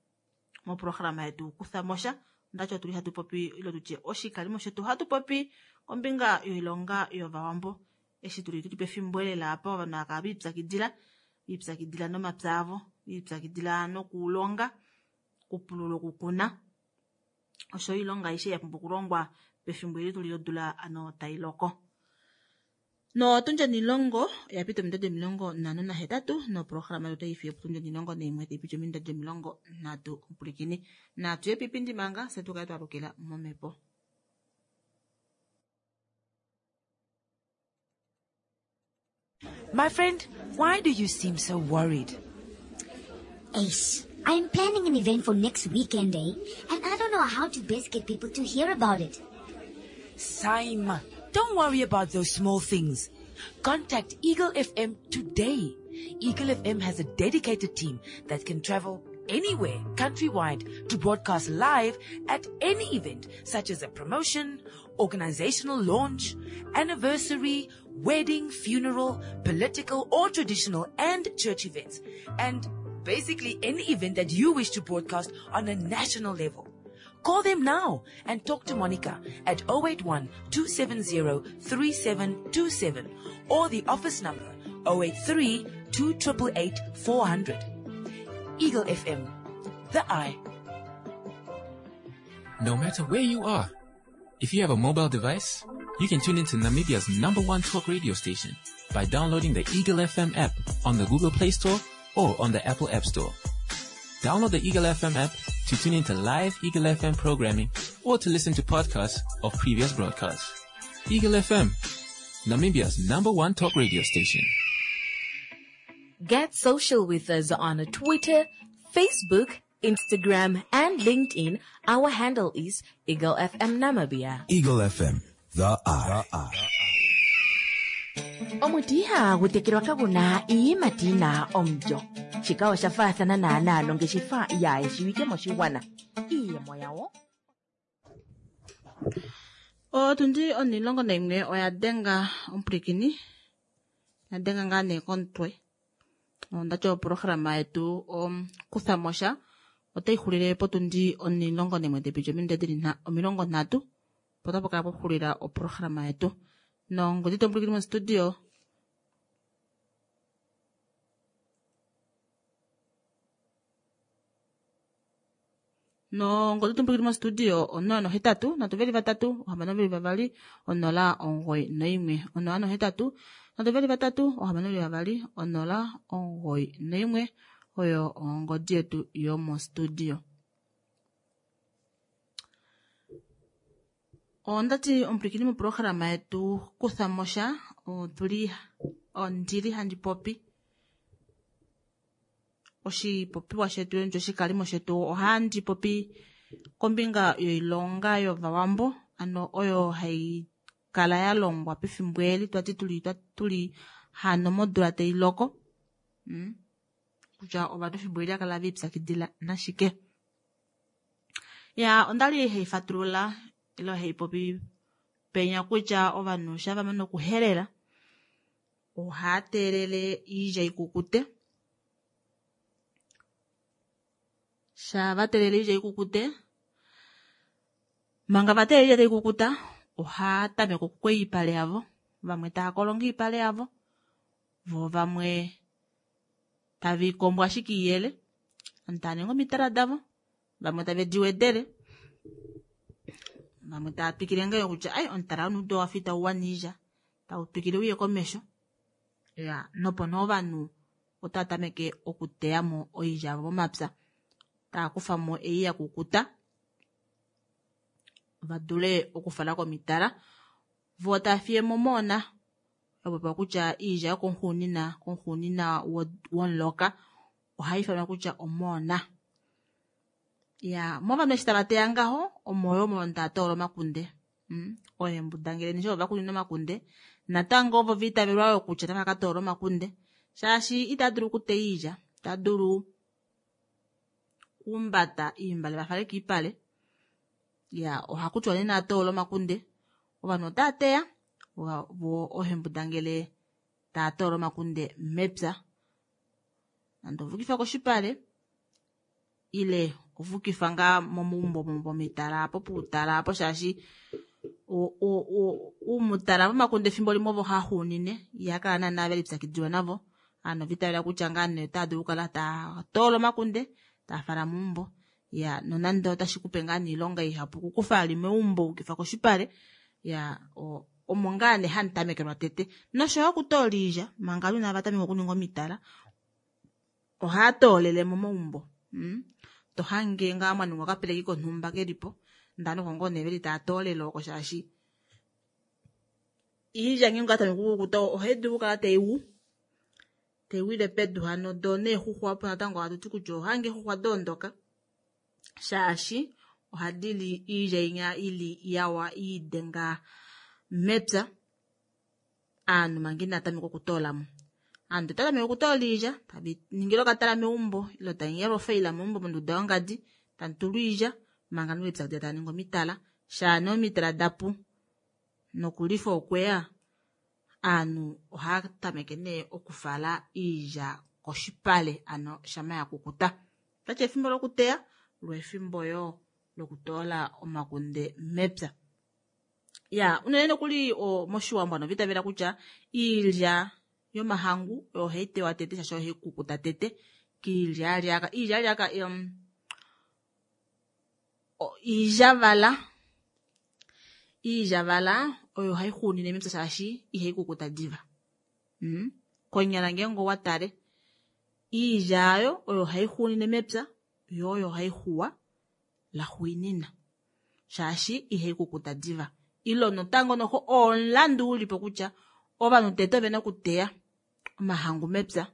moprograma yetu kuthamosha ondati otuli hatu popi ile tutye oshikalimo shetu ohatu popi kombinga yoilonga yovawambo eshi tuli tuli pefimbo elela apa ovanhu hakala viipyakidila viipyakidila nomapya avo viipyakidila nokulonga okupulula okukuna osho oilonga aishe ya pumbwa okulongwa pefimbo eli tuli lodula ano tai loko. Notundi onilongo oya pita ominute 58 noprograma yetu otai fiye potundi 11 tai piti ominute 30 omupulikini. Natu ye piipindi manga fye tukale twalukila momhepo. My friend, why do you seem so worried? Ace, I'm planning an event for next weekend, eh? And I don't know how to best get people to hear about it. Saima, don't worry about those small things. Contact Eagle FM today. Eagle FM has a dedicated team that can travel anywhere countrywide to broadcast live at any event such as a promotion, organizational launch, anniversary, wedding, funeral, political or traditional and church events, and basically any event that you wish to broadcast on a national level. Call them now and talk to Monica at 081 270 3727 or the office number 083 288 400. Eagle FM, the eye. No matter where you are, if you have a mobile device, you can tune into Namibia's number one talk radio station by downloading the Eagle FM app on the Google Play Store or on the Apple App Store. Download the Eagle FM app to tune into live Eagle FM programming or to listen to podcasts of previous broadcasts. Eagle FM, Namibia's number one talk radio station. Get social with us on Twitter, Facebook, Instagram, and LinkedIn. Our handle is Eagle FM Namibia. Eagle FM, the eye. Omuti ihagu tekelwa kaguna iiyimati yina omulyo. Shika osha faathana naanaa nongeshefa yaayeshiwike moshigwana. Iiyemo yawo Otundi 11 oya denga omupulikini ya denga ngaa nee komutwe. Ondati oprograma yetu kuthamosha otai xulile potundi 11 tepiti ominute dili 30 opo tapu kala poxulila oprograma yetu. Nongodi tomupulikini mostudio nongodi tomupulikini mostudio 083 3 6 2 091 083 3 6 2 091 oyo ongodi yetu yomostudio. Ondati omupulikini moprograma yetu kuthamosha otuli ondili handi popi oshipopiwa shetu ndjo oshikalimo shetu ohandi popi kombinga yoilonga yovawambo ano oyo hai kala ya longwa pefimbo eli twati tuli hano modula tai loko kutya ovanhu efimbo eli akala viipyakidila nashike. Ya ondali hai fatulula ilo hai popi penya kutya ovanhu shava mana okuhelela ohaa teelele iilya ikukute. Shava teelele iilya ikukute manga va teelele iilya tai kukuta ohaa tameke okukweya iipale yavo, vamwe taa kolonga iipale yavo vo vamwe tava ikombo ashike iyele, ovanhu tava ningi omitala davo, vamwe tave di wedele, vamwe tava twikile ngayo kutya ai omutala wonudo wafa itau wana iilya, tau twikile uye komesho. Ya nopo nee ovanhu otava tameke okuteyamo oilya yavo momapya, tava kufamo ei ya kukuta va dule okufala komitala, vo tava fiyemo moona opo kutya iilya yokomuxuunina komuxuunina womuloka ohai ifanwa kutya omoona. Ya movanhu eshi tava teya ngaho omo yo movanhu tava toola omakunde. Oembuda ngele nisho ovakunina omakunde natango ovo va itavelwa yo kutya otava ka toola omakunde shaashi itava dulu okuteya iilya. Ota dulu kuumbata iimbale vafale kiipale. Ya ohakutiwa nee naatoola omakunde. Ovanhu otaa teya vo oohembudangele taa toola omakunde mepya. Nande ovukifa koshipale ile ovukifa ngaa momaumbo pomitala apo puutala apo shaashi uumutala vomakunde efimbo limwe ovo haxuunine ihakala naana velipyakidilwa navo. Ovanhu ova itavela kutya ngaa nee otaa dulu okukala taa toola omakunde taa fala meumbo. Ya nonande otashi kupe ngaa nee oilonga ihapu okukufa ali meumbo ukifa koshipale. Ya omo ngaa nee hamu tamekelwa tete. Noshoyo okutoola oilya manga ovanhu inava tameka okuninga omitala ohaa toolele momaumbo. To hange ngaa mwa ningwa okapeleki konhumba kelipo ndee oko ngoo nee veli taa toolele oko shaashi iilya ngeenge oya tameke okukukuta ohai dulu okukala taiwu taiwile pedu hano doo neexuxwa opo natango ohatu ti kutya ohange eexuxwa doondoka shaashi ohadi li iilya inya ili yawa iidenga mepya. Aanhu manga inaa tameka okutoolamo. Aantu otava tameke okutoola iilya tavi ningile okatala meumbo ile taingelwa ofaila meumbo monduda yongadi tamu tulwa iilya manga nolipyakidila taa ningi omitala. Shaa nee omitala dapu nokulifa okweya aanhu ohaa tameke nee okufala iilya koshipale ano shama ya kukuta. Otati efimbo lokuteya lo efimbo yoo lokutoola omakunde mepya. Ya unene nokuli moshiwambo ovanhu ova itavela kutya iilya yomahangu oyo hai tewa tete shaashi oyo hai kukuta tete kiilyaalyaaka. Iilyaalyaaka iilyavala. Iilyavala oyo hai xuunine mepya shaashi ihai kukuta diva. Konyala ngeenge owa tale iilya ayo oyo hai xuunine mepya yo oyo hai xuwa laxuunina shaashi ihai kukuta diva. Ilo notango noho omulandu ulipo kutya ovanhu tete ovena okuteya omahangu mepya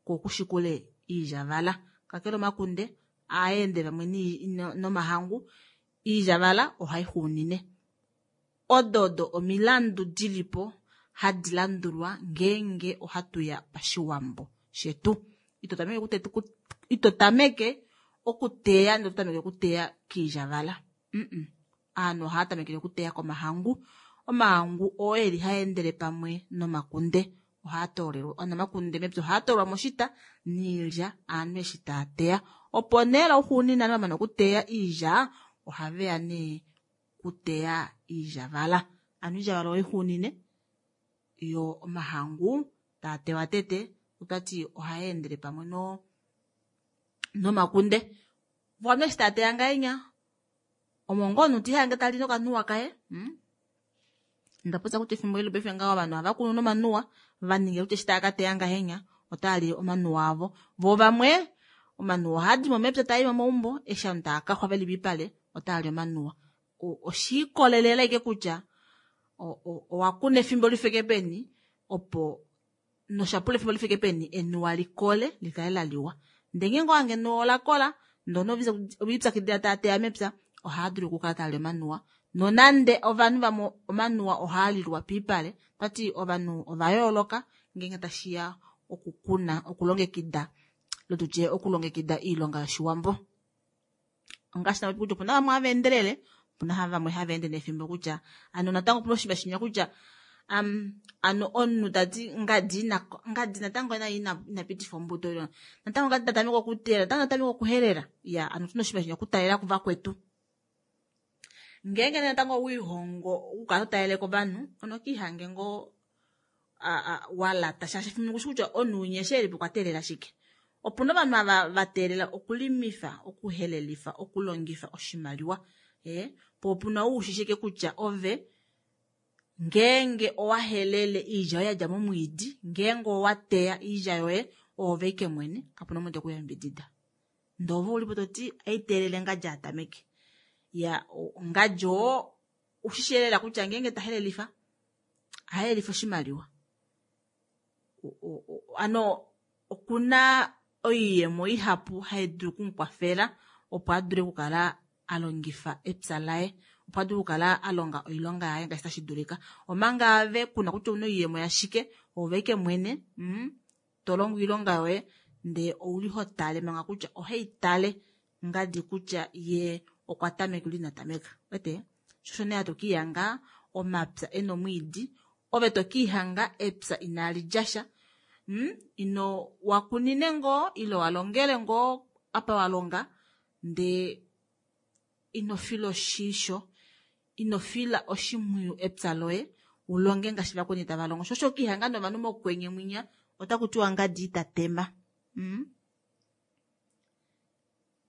ko okushikule iilyavala. Kakele omakunde aende vamwe nomahangu, iilyavala ohai xuunine. Odo omilandu dilipo hadi landulwa ngeenge ohatuya pashiwambo shetu. Ito tameke okuteya ndele oto tameke okuteya kiilyavala. Aanhu ohaa tamekele okuteya komahangu. Omahangu oo eli haendele pamwe nomakunde. Ohaa toolelwa omakunde mepya ohaa toolwa moshita niilya aanhu eshi taa teya. Opo nee lauxuuninwa vamana okuteya iilya ohaveya nee kuteya iilyavala. Ano iilyavala oixuunine yo omahangu taa tewa tete otati ohaendele pamwe nomakunde. Ovanhu eshi taa teya ngahenya omo ngoo omunhu tihange tali nokanuwa kaye. Ndapopya kutya efimbo eli paife ngaho ovanhu ohava kunu nomanuwa va ninge kutya eshi tava ka teya ngahenya otaa li omanuwa avo. Vo vamwe omanuwa ohaa di mo mepya taa i momaumbo eshi ovanhu tava kaxwa veli piipale otaa li omanuwa. Oshiikolelela ashike kutya owa kuna efimbo lifike peni opo noshapula efimbo lifike peni enuwa likole likale laliwa. Ndee ngeenge owange enuwa ola kola ndee ovilipyakidila taa teya mepya ohaa dulu okukala taa li omanuwa. Nonande ovanhu vamwe omanuwa ohaa lilwa piipale, tati ovanhu ova yooloka ngeenge tashiya okukuna okulongekida lotutye okulongekida oilonga yoshiwambo. Ongaashi napopi kutya opuna vamwe hava endelele, opuna vamwe hava ende nefimbo kutya ano natango opuna oshinima shinya kutya ano omunhu tati ngadi natango naye ina pitifa ombuto ilo natango ngadi tatameka okuteya natango tatameka okuhelela. Ya ano otuna oshinima shinya okutalela kuvakwetu. Ngeenge natango wiihongo okukala totalele kovanhu onokiihange ngoo walata shaashi efimbo limwe kushi kutya omunhu winya eshi elipo okwa teelela shike. Opuna ovanhu ava va teelela okulimifa, okuhelelifa, okulongifa oshimaliwa. Po opuna ou ushishike kutya ove ngeenge owa helele iilya yoye yadja momwiidi, ngeenge owa teya iilya yoye oove ike mwene kapuna omunhu tekuyambidida. Ndee ove ulipo toti aiteelele ngadji atameke. Ya ngadji oo ushishi lela kutya ngeenge tahelelifa ahelelifa oshimaliwa. Ano okuna oiyemo ihapu haidulu okumukwafela opo adule okukala alongifa epya laye opo adule okukala alonga oilonga yaye ngaashi tashi dulika. Omanga ave kuna kutya ouna oiyemo yashike oove ike mwene tolongo oilonga yoye. Ndee ouli ho tale manga kutya ohai tale ngadi kutya ye okwa tameka ile ina tameka. Wete? Sho osho nee hatu kiihanga omapya ena omwiidi, ove to kiihanga epya inali dja sha. Ino wakunine ngoo ile walongele ngoo apa walonga ndee ino fila oshisho, ino fila oshimpwiyu epya loye ulonge ngaashi vakweni tava longo. Sho osho kiihanga novanhu mokwenye mwinya otaku tiwa ngadi ita tema.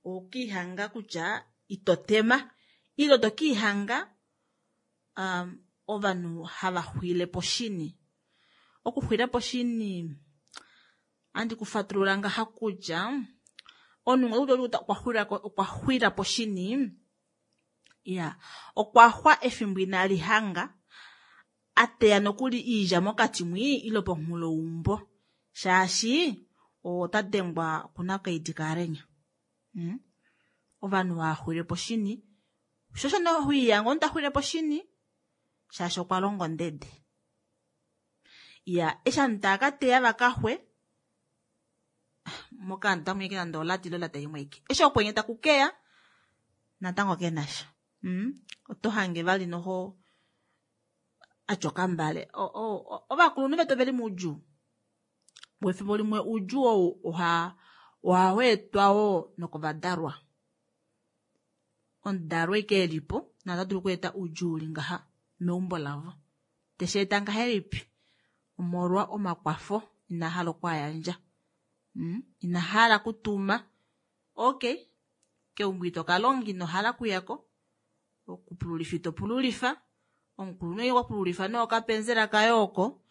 Okiihanga kutya ito tema ile to kiihanga ovanhu hava xwile poshini. Okuxwila poshini andi kufatulula ngaha kutya omunhu okwa xwila poshini ya okwa xwa efimbo inali hanga ateya nokuli iidja mokati mwi ile pomunghulo weumbo shaashi ota dengwa kunakaidi kaalenya. Ovanhu hava xwile poshini sho osho nee hoihanga omunhu ta xwile poshini shaashi okwa longa ondede. Ya eshi ovanhu tava ka teya vakaxwe mokaandu otamu ike nande olati ile olata imwe aike. Eshi okwenye taku keya natango kenasha. Oto hange vali noho atya okambale. Ovakulunhu vetu oveli moudjuu. Wefimbo limwe oudjuu ou oha weetwa wo nokovadalwa. Omudalwa ike elipo nata dulu okweeta oudjuu uli ngaha meumbo lavo. Teshi eta ngahelipi? Omolwa omakwafo ina hala okwaayandja. Ina hala kutuma. Okay, keumbo ito kalonga ino hala okuyako. Okupululifa ito pululifa. Omukulunhu okwa pululifa nee okapenzela kaye oko.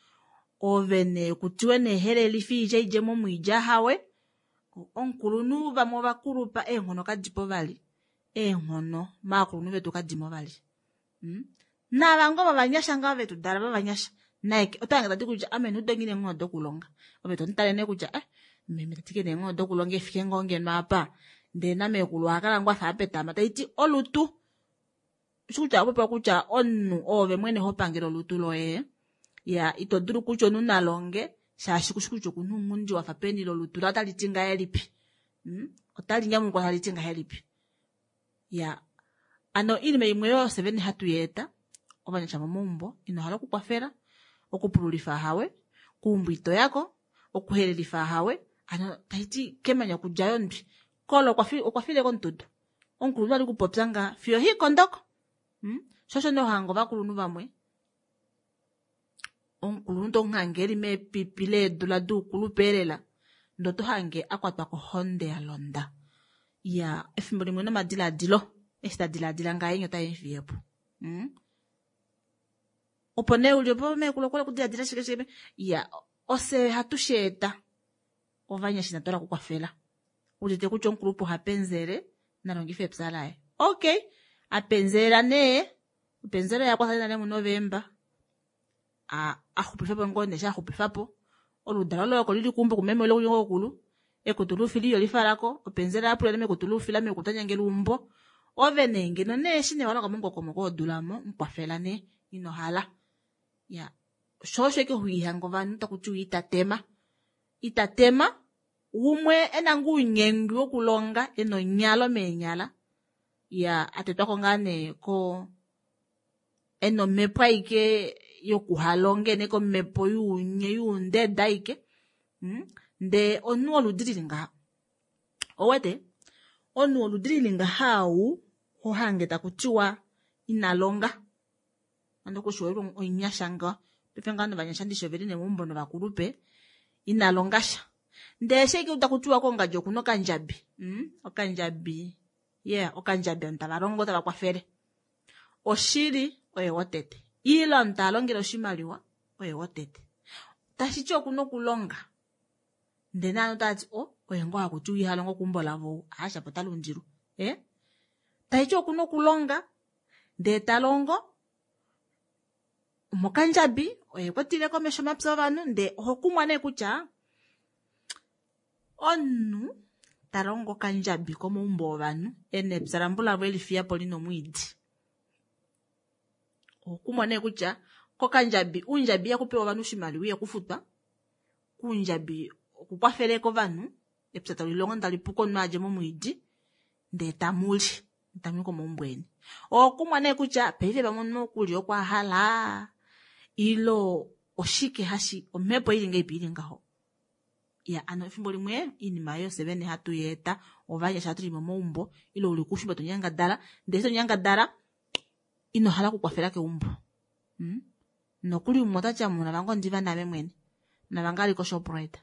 Ove nee kutiwe nee helelifa iilya idje momwiidi ahawe. Omukulunhu vamwe ovakulupa eenghono kadipo vali. Eenghono maakulunhu vetu kadimo vali. Navango vavanyasha ngao vetu dala vavanyasha. Naye otange tati kutya ame nudongi neenghono dokulonga. Ove to mutale nee kutya meme tati neenghono dokulonga efike ngoo ngeno apa. Ndee namekulu ohakala ngoo afa apetama taiti olutu. Kutya opopewa kutya omunhu oove mwene ho pangele olutu loye. Ya ito dulu kutya omunhu nalonge shaashi kushi kutya okuna ounghundi wafa peni lolutu laye otali ti ngahelipi. Otali nyamukula tali ti ngahelipi. Ya ano iinima imwe yo fye vene hatu yeeta ovanyasha momaumbo ino hala okukwafela okupululifa hawe, kuumbo ito yako, okuhelelifa hawe, ano taiti kemanya okudja yondwi. Kolo okwa file komututu. Omukulunhu ali kupopya nga fiyo hikondoko. Sho osho nee ohanga ovakulunhu vamwe. Omukulunhu to muhange eli meepipi leedula doukulupe elela ndee oto hange a kwatwa kohonde ya londa. Ya efimbo limwe nomadiladilo eshi ta diladila ngahenya otae mu fiye po. Opo nee uli opo meekulu okwa okudiladila shike shike. Ya ofye hatu sheeta ovanyasha inatu hala okukwafela. Udite kutya omukulupe oha penzele nalongifa epya laye. Okay, apenzela nee openzela yakwafela nale muNovemba. Axupifa po ngoo nee sha xupifa po. Oludalo loye oko lili keumbo kumeme ile kuyokulu. Ekutu luufila iyo lifalako. Openzela yapula mekutu luufila mekutu tanyangela umbo. Ove nee ngeno nee eshi nee walonga momukokomoko wodula mo mukwafela nee ino hala. Ya sho osho ike hoihanga ovanhu taku tiwa itatema. Itatema umwe ena ngoo ounyengwi wokulonga ena onyalo meenyala. Ya atetwako ngaa nee ko ena omhepo aike yokuhalonga ena ike omhepo yuunye yuundeda aike. Ndee omunhu woludi lili ngaha. Owete? Omunhu woludi lili ngaha ou hohange taku tiwa ina longa. Ando kushiwelwa oinyasha ngaho. Paife ngaho novanyasha ndishi oveli nemeumbo novakulupe ina longa sha. Ndee eshi ike taku tiwa kongadi okuna okandjabi. Okandjabi. Yeah, okandjabi ovanhu tava longo tava kwafele. Oshili oye wotete. Ile omunhu ta longele oshimaliwa oye wotete. Tashiti okuna okulonga. Ndee naanhu otava ti o oye ngoo hakuti iha longo keumbo lavo aasha po ota lundilwa. Tashiti okuna okulonga ndee ta longo mokandjabi oye kwatile komesho omapya ovanhu ndee oho kumwa nee kutya omunhu ta longo okandjabi komaumbo ovanhu ena epya lambulavo eli fiya po lina omwiidi. Oho kumwa nee kutya kokandjabi uundjabi ihaku pewa ovanhu oshimaliwa ihaku futwa. Kuundjabi okukwafele kovanhu. Epya tali longo tali puko omunhu a dje momwiidi ndee tamu li tamu i komaumbo eni. Okumwa nee kutya paife pamwe omunhu okulya okwa hala ilo oshike hashi omhepo ili ngeipi ili ngaho. Ya ano efimbo limwe iinima yofye vene hatu i eta ovanyasha hatu li momaumbo ile uli kuushimba to nyangadala ndele to nyangadala ino hala okukwafela keumbo. Nokuli umwe ota ti amuna vange ondiva naame mwene. Navange ali koShoprite.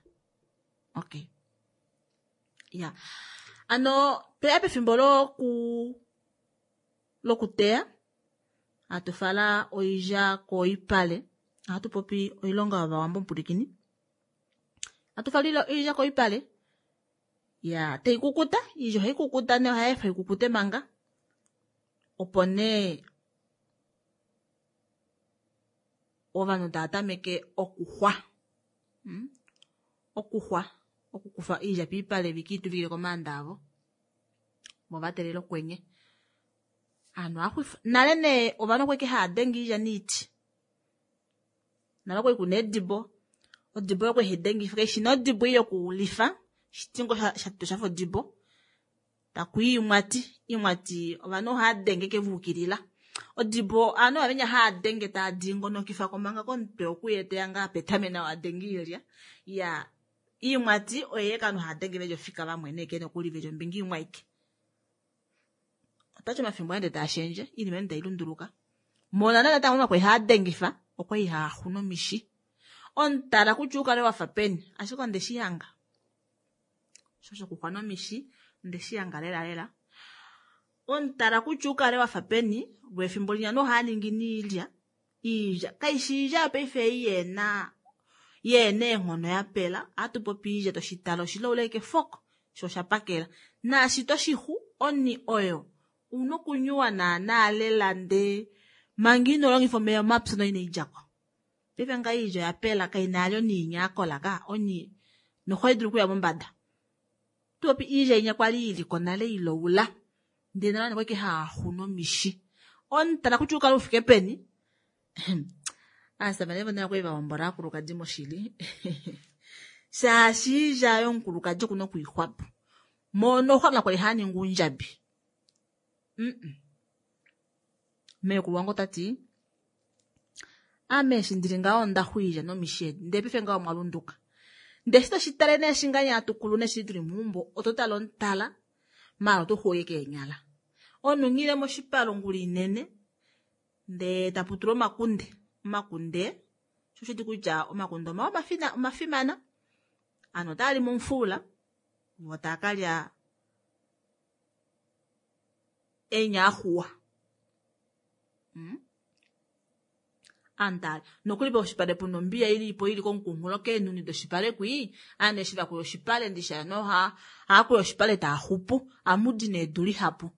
Okay. Ya. Ano tweya pefimbo loku lokuteya hatu fala oilya koipale. Ohatu popi oilonga yovawambo mupulikini. Hatu fala oilya koipale. Ya, tai kukuta, iilya ohai kukuta nee ohai efa ikukute manga. Opo nee ovanhu tava tameke okuxwa. Okuxwa, okukufa oilya piipale viki ituvikile komaanda avo. Vo va teelela okwenye. Aanhu ohava xwifa. Nale nee ovanhu okwali hava denge oilya noiti. Nale okwali kuna eedibo. Odibo oyo okwali hai dengifa kaishi nee odibo ei yokulifa, shiti ngoo shatutwa shafa odibo. Taku i oimwati, oimwati ovanhu ohava denge ke va ukilila. Odibo ovanhu ovavenya hava denge tava dingonokifa ko manga komutwe okuya teya ngaa petame nawa a denge oilya. Ya oimwati oyo ovanhu hava denge veli ofika vamwene ashike nokuli veli ombinga imwe aike. Otati omafimbo ende taa shendje, iinima ende tai lunduluka. Monale natango omunhu okwali haa dengifa, okwali haa xu nomishi. Omutala kutya ukale wafa peni, ashike onde shi hanga. Osho shokuxwa nomishi, onde shi hanga lela lela. Omutala kutya ukale wafa peni, lwefimbo linya nohaa ningi niilya. Iilya, kaishi iilya yopaife ei yeena yeena eenghono ya pela, ohatu popi iilya toshitala oshilaula ashike fok, sho osha pakela. Naashi toshixu, oni oyo una okunyuwa naana lela ndee manga ino longifa omeya omapyu no inai djako. Paife nga iilya oya pela kaina yali oni inya yakola ka, oni nohai dulu okuya mombada. Tupopi iilya inya kwali iliko nale iloula ndee nale ovanhu okwali haa xu nomishi. Omutala kutya ukale ufike peni, aasamane vonale okwali va hombola aakulukadi moshili. Shaashi iilya yomukulukadi okuna okwiixwapo. Mono xwa kwali haa ningi uundjabi. Meekulu wange ota ti ame eshi ndili ngaho onda xu iilya nomishi edi ndee paife ngaho omwa lunduka. Ndee eshi toshi tale nee eshi ngahenya hatu kulu neshi tuli meumbo oto tale omutala maala oto xuwike keenyala. Omunhu nghile moshipale ongula inene ndee tapu tulwa omakunde. Omakunde sho oshiti kutya omakunde omawa omafimana. Aanhu otaa li momufula vo taa kalya enya axuwa. Aanhu taa nokuli poshipale puna ombiya ilipo ili komukunghulo keenhuni doshipale kwii, aanhu eshi vakuya oshipale ndisha noha haakuya oshipale taaxupu amudi needu lihapu.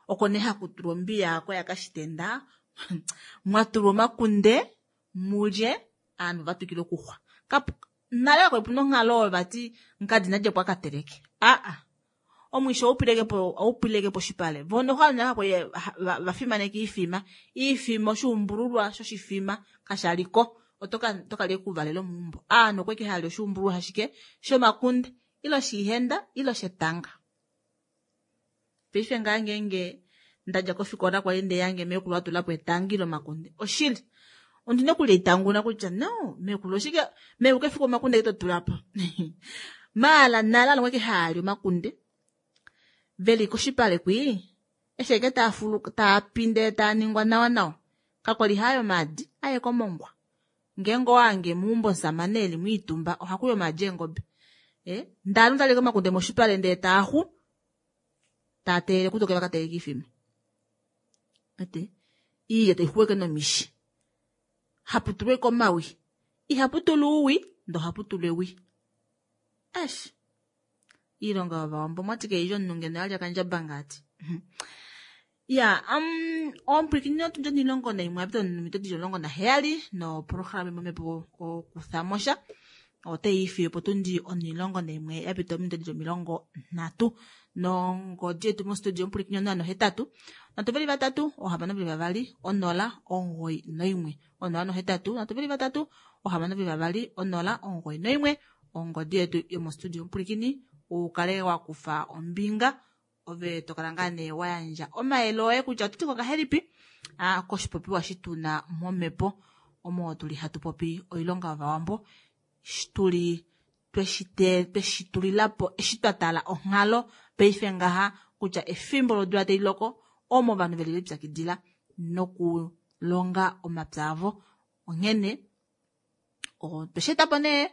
Oko nee hakutulwa ombiya ako yakashitenda mwatulwa omakunde mulye aanhu vatwikile okuxwa. Nale kakwali puna onghalo oyo vati mukadi nadjepo akateleke. Aa omwisho oupileke poshipale. Vo noho ovanhu kakwali vafimaneka iifima. Iifima oshuumbululwa shoshifima kashaliko. Oto kalya ekuvalelo meumbo. Aanhu okwali hali oshuumbululwa ashike shomakunde ile oshiihenda ile oshetanga. Paife ngaa ngeenge ndadja kofikola kwali ndeyange meekulu atulapo etanga ile omakunde. Oshili ondina okulya itanguna kutya no meekulu oshike meekulu kefiku omakunde to tulapo. Maala nale ovanhu okwali haali omakunde veli koshipale kwii eshi ashike taa ndee taa ningwa nawa nawa. Kakwali haayo omaadi aye komongwa. Ngeenge owange meumbo omusamane eli mwiitumba ohakuya omaadi eengobe. Ndee ovanhu tali omakunde moshipale ndee taaxu taa teelele kutoke vakateleke iifima. Ete iilya taixuweke nomishi. Hapu tulwa ashike omawi. Ihapu tulwa ouwi ndee ohapu tulwa ewi. Eish. Iilonga yovawambo omwati kailya omunhu ngeno yalya kandjaba ngaati. Ya, omupwilikini otundi 11 yapita ominute dili 17 noprograma yomomhepo okuthamosha otai ifiye po tundi 11 yapita ominute dili 30 nongodi yetu mostudio omupwilikini 083 323 622 0 91 083 323 622 0 91 ongodi yetu yomostudio omupwilikini. Ukale wa kufa ombinga ove tokala ngaa nee wa yandja omayele oye kutya oto ti ko ngahelipi koshipopiwa shi tuna momhepo omo tuli hatu popi oilonga yovawambo tuli tweshi tulilapo eshi twa tala onghalo paife ngaha kutya efimbo lodula tai loko omo ovanhu veli lipyakidila nokulonga omapya avo. Onghene otweshi etapo nee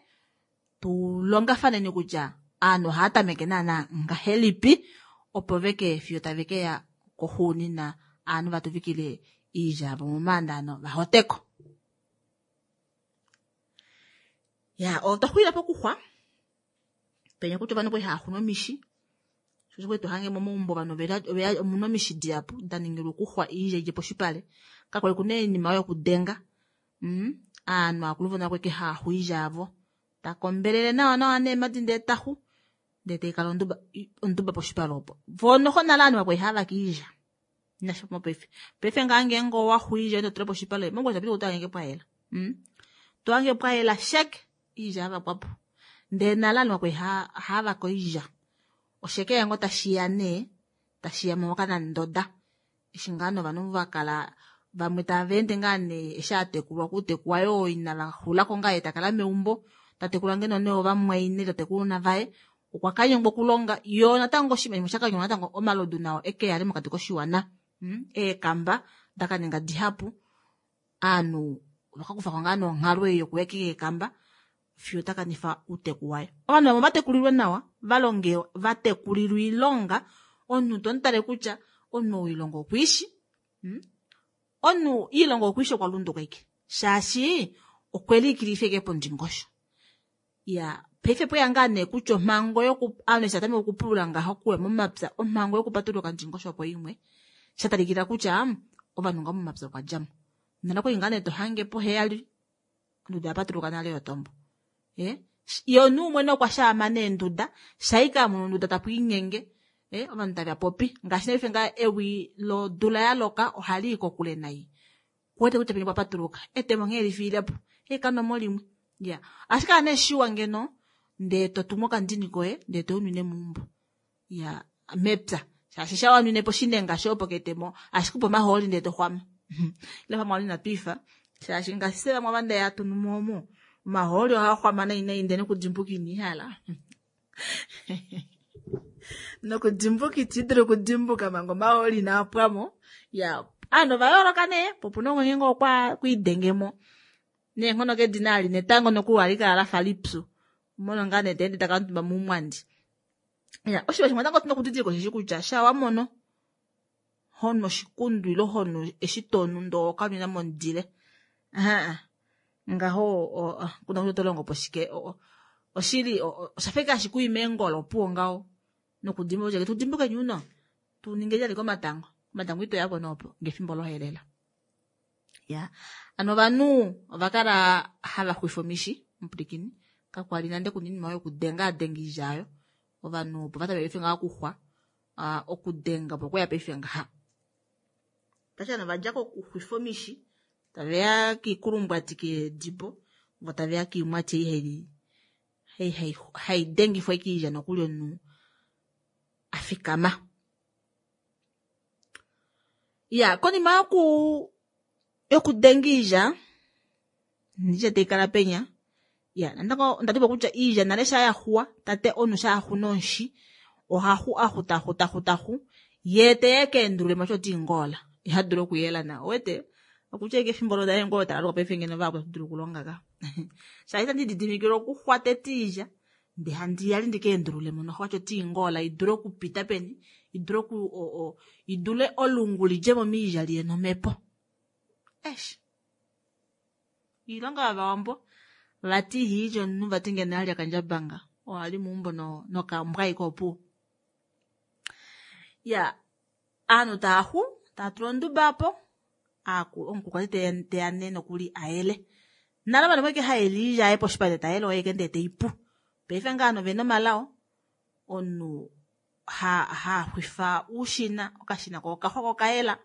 tulongafaneni kutya aanhu ohaya tameke naana ngahelipi opo veke fiyo tave keya koxuunina aanhu vatuvikile iilya yavo momaanda ano vahoteko. Ya, otwa xulila pokuxwa penya kutya ovanhu kwali hava xu nomishi shosho kwali tohange momaumbo ovanhu oveya omuna omishi dihapu da ningilwa okuxwa iilya idje poshipale. Kakwali kuna oinima oyo yokudenga. Aanhu akulu vona kweke hava xu iilya yavo takombelele nawa nawa neemadi ndee taxu ndee taikala onduba poshipale opo. Voo noho nale aanhu vakwali hava vake iilya inasha mopaife. Paife ngaa ngeenge owaxu iilya ito tula poshipale mongula shapita otohange pwayela. Tohange pwayela sheke iilya yavakwapo. Ndee nale aanhu vakwali havake oilya. Osheke yango tashiya nee tashiya mokanandoda. Eshi ngaa novanhu vakala vamwe tava ende ngaa nee eshi atekulwa okutekwa yoo ina vaxulako ngaa ye takala meumbo tatekula ngeno nee ovamwaine tatekula vaye okwa kanyengwa okulonga yoo natango oshinima shakanyengwa natango omalodu nao eke yale mokati koshiwana. Eekamba dakaninga dihapu aanhu vakakufako ngaa nonghalo ei yokuya keekamba fiyo takanifa uuteku waye. Ovanhu vamwe vatekulilwe nawa valonge vatekulilwe oilonga omunhu tomutale kutya omunhu oilonga okwiishi. Omunhu iilonga okwiishi okwa lunduka ike shaashi okwe liikilifa ike pondingosho. Ya paife pweya ngaa nee kutya omhango yoku aanhu eshi atameka okupulula ngaho okuya momapya omhango yokupatulula okandingosho opo imwe shatalikila kutya ovanhu ngaho momapya okwa djamo. Nale kwali ngaa nee tohange poheyali onduda yapatuluka nale yotombo. Ye omunhu umwe nokwa shaama neenduda shaika amono onduda tapu inyenge ovanhu tava popi ngaashi naife ngaa ewi lodula yaloka ohali i kokule nai. Kuwete kutya peni pwapatuluka etemo nghee lifiilepo ekanomo limwe. Ya ashike ane shiwa ngeno ndee totumu okandini koye ndee tounwine meumbo. Ya mepya shaashi shawanwine po shinenga sho ketemo ashike upo omahooli ndee toxwama. Ile pamwe wali inatwiifa shaashi ngaashi se vamwe avanda yatunu momo omahooli ohaa xwama nai nai ndee nokudimbuka iniihala. Nokudimbuka itidulu okudimbuka manga omahooli inaa pwamo. Ya aanhu ova yooloka nee po opuna umwe ngeenge okwa kwidengemo neenghono kedina ali netango nokuli ohali kala lafa lipyu. Omono ngaa nee taende taka omutumba moumwandi. Ya oshinima shimwe natango tuna okudidilika osheshi kutya sha wamono honu oshikundu ile honu eshi tonu ndoo okanwina momudile. Ngaho kuna kutya oto longo po shike oshili oshafa ike hashi kuyi meengolo opuwo ngaho nokudimbuka kutya tudimbuke nyuno tuninge lyali komatango. Komatango ito yapo noopo ngefimbo lohelela. Ya ano ovanhu ovakala hava xwifa omishi mupulikini kakwali nande kuna oinima yokudenga adenga iilya ayo. Ovanhu opo vatameke paife ngaha okuxwa okudenga opo kweya paife ngaha. Tashi ovanhu vadja kokuxwifa omishi taveya kiikulumbwati keedibo vo taveya kiimwati ei hai dengifwa ike iilya nokuli omunhu afikama. Ya konima yokudenga iilya iilya taikala penya. Ya natango ondadipo kutya iilya nale sha yaxuwa tate omunhu sha yaxu nonshi ohaxu axu taxu taxu taxu ye teye keendulule mosho ti ngola ihadulu okuyela na owete okutya ike efimbo lodaye ngoo talaluka paife ngeno vahapu dulu okulonga ka. Shaashi itandi didimikile okuxwa tete iilya ndee handi yali ndikeendulule mo noho wacho ti ngola idule okupita peni idule oku idule olungu lidje mo miilya liye nomhepo. Eish iilonga yovawambo vati ihiilya omunhu vati ngeno alya kandjabanga ohali meumbo nokambwa ike opuwo. Ya aanhu taaxu taatula onduba apo omukulukadi teya nee nokuli ayele. Nale ovanhu voike hayele iilya yaye poshipale tayele oye ike ndee teipu. Paife ngaa ovanhu ovena omalao omunhu haxwifa uushina okashina ko okaxwa ko okayela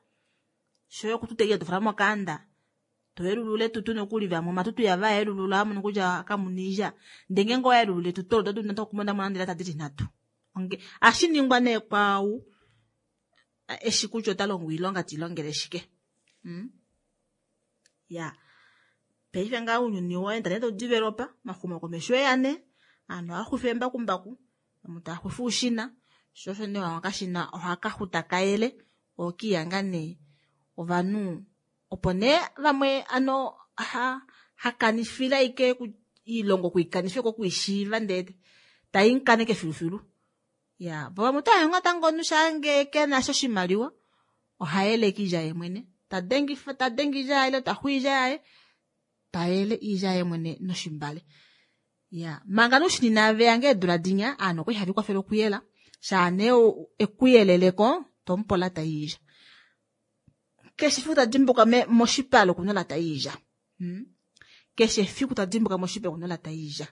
shoye okututa iilya tofala mokaanda toyelulula etutu nokuli vamwe omatutu yava yelulula amono kutya kamuna iilya ndee ngeenge owayelulula etutu olo oto dulu natango okumona mo nande tadili nhatu. Ohashi ningwa nee kwaau eshi kutya ota longo oilonga te i longele shike. Ya paife ngaa ounyuni owa enda nee tau developa, omaxumokomesho oeya nee, ovanhu ohava xufa eembakumbaku, vamwe tava xufa oushina, sho osho nee okashina ohaka xu taka yele, okiihanga nee ovanhu opo nee vamwe ano hakanifile ashike oilonga okwiikanifa eke okwiishiiva ndee taimukaneke filufilu. Ya vo vamwe otava natango omunhu shaange kenasha oshimaliwa ohayeleke oilya yaye mwene, tadengifa tadenge oilya yaye ile taxu oilya yaye tayele oilya yaye mwene noshimbale. Ya manga nee oushina veya ngoo eedula dinya ovanhu okwali have likwafele okuyela shaa nee ekuyeleleko tomupe olata yoilya. Keshe efiku tadimbuka moshipale okuna olata yoilya. Keshe efiku tadimbuka moshipale okuna olata yoilya.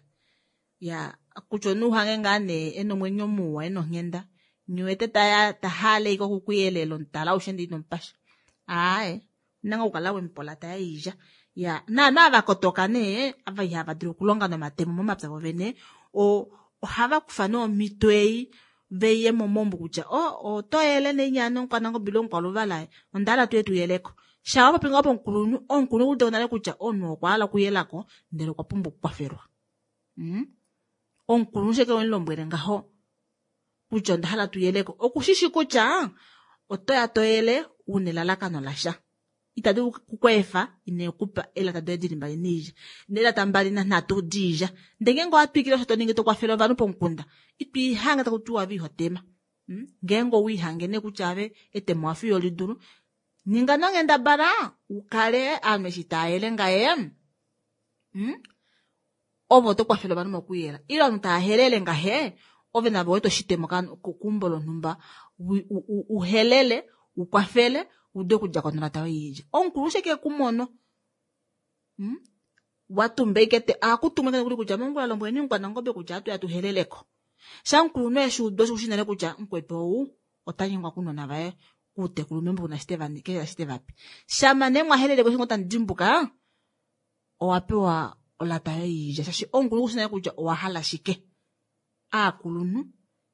Ya kutya omunhu uhange ngaa nee ena omwenyo muwa ena onghenda nghiwete tahale ashike okukuyelela omutala aushe ndee inomupasha. Aaye ouna ngoo okukala wemupa olata yoilya. Ya naanhu ava vakotoka nee ava ihava dulu okulonga nomatemo momapya vovene ohava kufa nee omhito ei veye momaumbo kutya oto yele nee nyana omukwanangobe ile omukwaluvala onda hala tuye tuyeleko. Shaa wapopi ngaho pomukulunhu, omukulunhu okuudite nale kutya omunhu okwa hala okuyelako ndele okwa pumbwa okukwafelwa. Omukulunhu sheke wemulombwele ngaho kutya onda hala tuyeleko okushishi kutya otoya toyele una elalakano lasha. Ita dulu kukweefa ine kupa eelata doye dili mbali noilya neelata mbali nanhatu diilya. Ndee ngeenge owa twikile osho toningi tokwafele ovanhu pomukunda itwiihange taku tiwa ove ihotema. Ngeenge owiihange nee kutya ave etemo wafa iholidulu ninga nonghendabala ukale ovanhu eshi taayele ngaye ove oto kwafele ovanhu mokuyela ile ovanhu tava helele ngahe ove navo wete oshitemo keumbo lonhumba uhelele ukwafele ude okudja konolata yoilya. Omukulu sheke kumono watumba ashike ohakutumwa nokuli kutya mongula lombweleni omukwanangobe kutya atuya tuheleleko. Sha omukulunhu eshi uda osho nale kutya mukwetu ou ota nyengwa kunona vaye kuutekulu meumbo kuna shi tevape. Shama nee mwaheleleko eshi ngoo tamu dimbuka owa pewa olata yoilya shaashi omukulunhu okushi nale kutya owa hala shike. Aakulunhu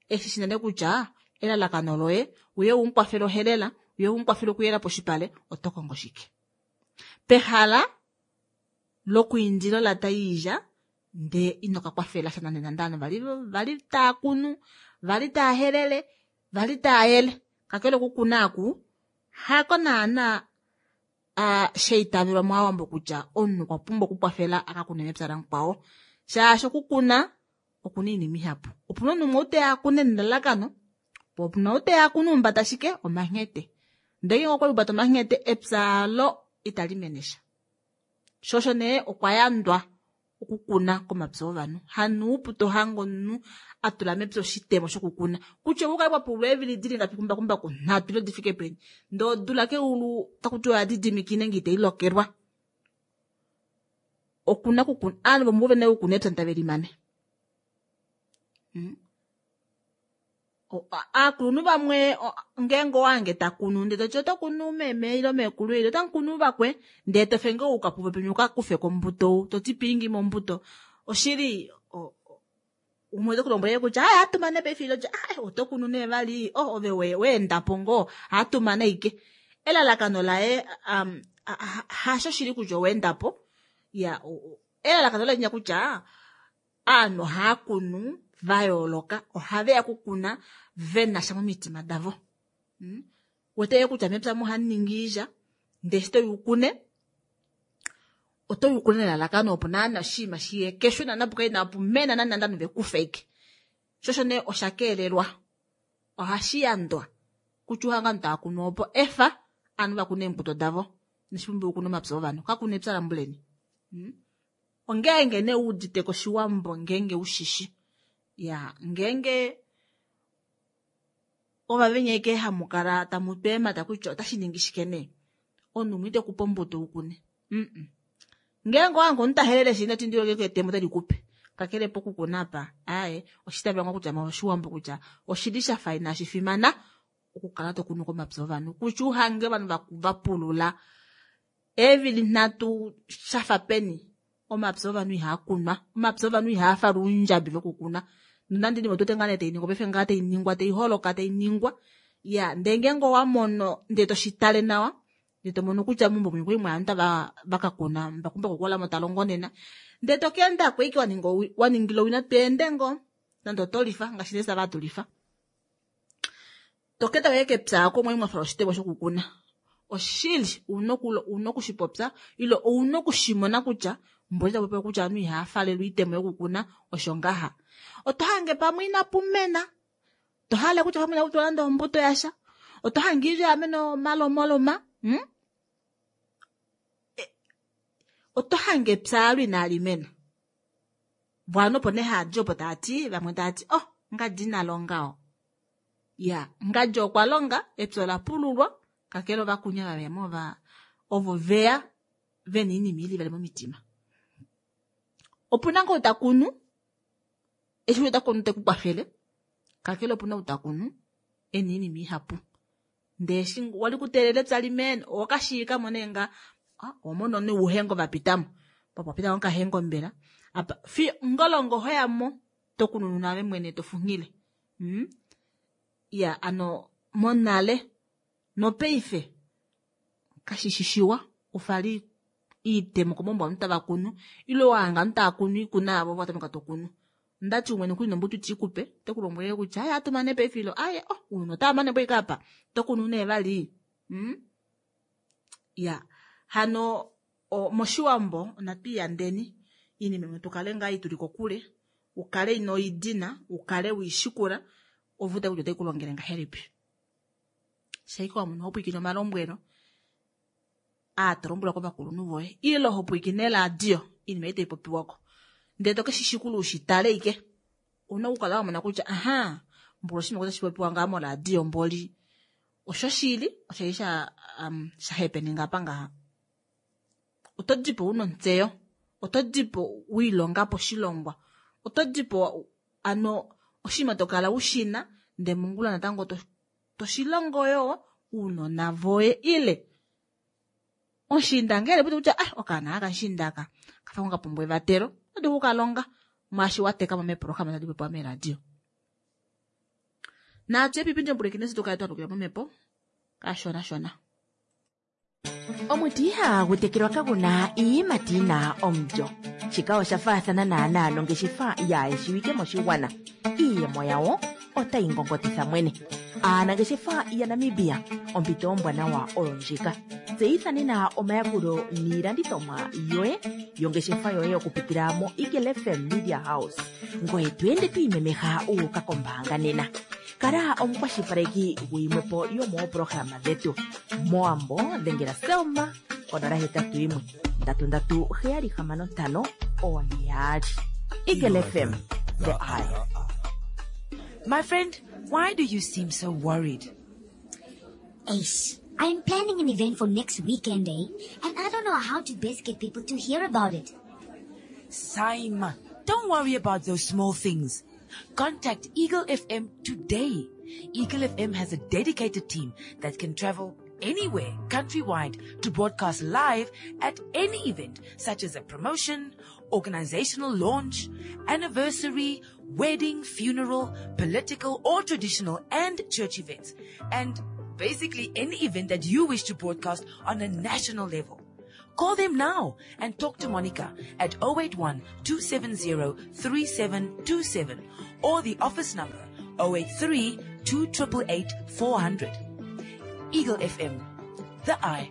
eshi shi nale kutya elalakano loye uye umukwafele ohelela uye umukwafele okuyela poshipale oto kongo shike. Pehala lokwiindila olata yoilya ndee ino ka kwafela sha nande nande ovanhu vali taa kunu, vali taa helele, vali taa yele. Kakele okukuna aku hako naana shaitavelwa mOwambo kutya omunhu okwa pumbwa okukwafela a ka kune mepya lamukwao. Shaashi okukuna okuna oinima ihapu. Opuna omunhu umwe ou teya akune nelalakano, po opuna ou teya akune umbata shike omanghete. Ndee ngeenge okwa umbata omanghete epya alo itali mene sha. Sho osho nee okwa yandwa okukuna komapya ovanhu. Hanuupu tohange omunhu a tula mepya oshitemo shokukuna. Kutya oukale wa pulula eevili dili ngapi kumbakumbaku nhatu ile di fike peni. Ndee odula keulu taku tiwa oya didimikine nge itai lokelwa. Okuna okukuna ovanhu vomuvo vene okukuna epya tave limane. Aakulunhu vamwe ngeenge owange takunu ndee toti oto kunu meme ile meekulu ile otamukunu vakwe ndee tofe ngoo uka puvo penya uka kufeko ombuto toti piingimo ombuto oshili umwe ote kulombwele kutya aya atumane paife ile oto kunu nee vali ove weendapo ngoo atumane ashike elalakano laye hasho shili kutya oweendapo. Ya elalakano laye kutya ovanhu ohava kunu va yooloka ohaveya kukuna venasha momitima davo. Wete kutya mepya ohamu ningi oilya ndee eshi toyi ukune otoyi ukune nelalakano opo naana oshinima shiye kesho naana opo kaina okumena nande nande ovanhu vekufe ashike. Sho osho nee osha keelelwa ohashi yandwa kutya uhange ovanhu tava kunu opo efa ovanhu vakune eembuto davo inashi pumbiwa okukuna omapya ovanhu kakuna epya lambuleni. Ongeenge nee uudite koshiwambo ngeenge ushishi. Ya ngeenge ova venya ashike hamukala tamu tweemata kutya otashi ningi shike nee. Omunhu umwe ite kupe ombuto ukune. Ngeenge owange omunhu tahelele shi noti ndilo ngenge etemo otali kupe. Kakele pokukuna apa aaye oshitavelwa ngoo kutya moshiwambo kutya oshili shafa inashi fimana okukala tokunu komapya ovanhu. Kutya uhange ovanhu vapulula eevili nhatu shafa peni omapya ovanhu ihaa kunwa. Omapya ovanhu ihaa falwa oundjabi vokukuna. Nonande inima otu wete ngaa nee tai ningwa paife ngaa tai ningwa tai holoka tai ningwa. Ya, ndee ngeenge owa mono ndee toshi tale nawa ndee to mono kutya meumbo mwi okwali mwa ovanhu tava va ka kuna mbakumbaku okwa lamo ta longo nena ndee to ka enda ko ashike wa ninga wa ningila owina to ende ngoo nande oto lifa ngaashi nee sava hatu lifa. To ka enda ko ashike kepya oko mwali mwa fala oshitemo shokukuna. Oshili ouna oku ouna oku shi popya ile ouna oku shi mona kutya mboli ta popiwa kutya ovanhu ihava falelwa oitemo yokukuna osho ngaha. Oto hange pamwe inapu mena To hale kutya pamwe inaku tulwa nande ombuto yasha. Oto hange oilya ya mena omalomaloma. Hmm? E, oto hange epya alo inali mena. Vo opo nee haa di opo taa ti, vamwe taa ti, oh, ngadi ina longa oo. Ya, ngadi okwa longa, epya ola pululwa, kakele ovakunya va mo va, ovo veya ve na oinima ili vali momitima. Opu na ngoo ta kunu, eshi ota kunu te ku kwafele, kakele opu na ou ta kunu e na oinima ihapu. Ndee eshi wali kuteelela epya limene, owa ka shiika mo nee nga, ah, owa mona nee ouhengo va pita mo. Pa pwa pita okahengo mbela. Apa, fiyo ngolongo ho ya mo, to kununu naave mwene to funghile. Hmm? Ya, ano monale nopaife kashi shi shiwa u fale iitemo komaumbo ovanhu tava kunu ile wa hanga ovanhu tava kunu iikuna yavo ove wa tameka to kunu. Ondati umwe nokuli nombutu iti ku pe, ote ku lombwele kutya aye ohatu mane paife ilo aye oh ounona otava mane po ashike apa, oto kunu nee vali? Hum ya hano moshiwambo onatu iyandeni iinima imwe tu kale ngaa ituli kokule, u kale ino i dina, u kale wei shikula ove u tale kutya otai ku longele ngahelipi. Shaike wa mono ho pwiikine omalombwelo aa to lombwelwa kovakulunhu voye ile ho pwiikine eradio iinima ei tai popiwa ko ndele to ke shi shikula u shi tale ike ouna okukala wa mona kutya aha mboli oshinima otashi popiwa ngaa moradio mboli oshoshili osha li sha um, sha hepeninga apa ngaha oto dipo una ontseyo oto dipo wiilonga po oshilongwa oto dipo ano oshinima to kala u shina ndee mongula natango to to shi longo yoo uunona voye ile omushiinda ngele pute kutya ah okaana aka mushiinda aka kafa ka pumbwa evatelo oto dulu oku ka longa mwaashi wa teka mo meeprograma tadi popiwa meeradio. Naatye epipi ndyombulekine se tu kale twa lukila momhepo kashona shona. Omuti ihaagu tekelwa kagu na iiyimati yi na omulyo. Shika osha faathana naanaa nongeshefa yaayeshiwike moshigwana. Iiyemo yawo otayi ngongotitha mwene. Aanangeshefa yaNamibia, ompito ombwanawa oyo ndjika. Tseyitha nena omayakulo niilandithomwa yoye yongeshefa yoye okupitila moEagle FM Media House. Ngoye to ende to imemeha wu uka kombaanga nena. Kala omukwashilipaleki guyimwe po yomooprograma dhetu. Mowambo dhengela Selma konola hetatu yimwe ndatu ndatu heyali hamano ntano oone yaali. Eagle FM, the eye. My friend, why do you seem so worried? Ace, I'm planning an event for next weekend, eh? And I don't know how to best get people to hear about it. Saima, don't worry about those small things. Contact Eagle FM today. Eagle FM has a dedicated team that can travel anywhere countrywide to broadcast live at any event such as a promotion, organizational launch, anniversary, wedding, funeral, political or traditional and church events. And basically any event that you wish to broadcast on a national level. Call them now and talk to Monica at 081 270 3727 or the office number 083 288 400. Eagle FM, the eye.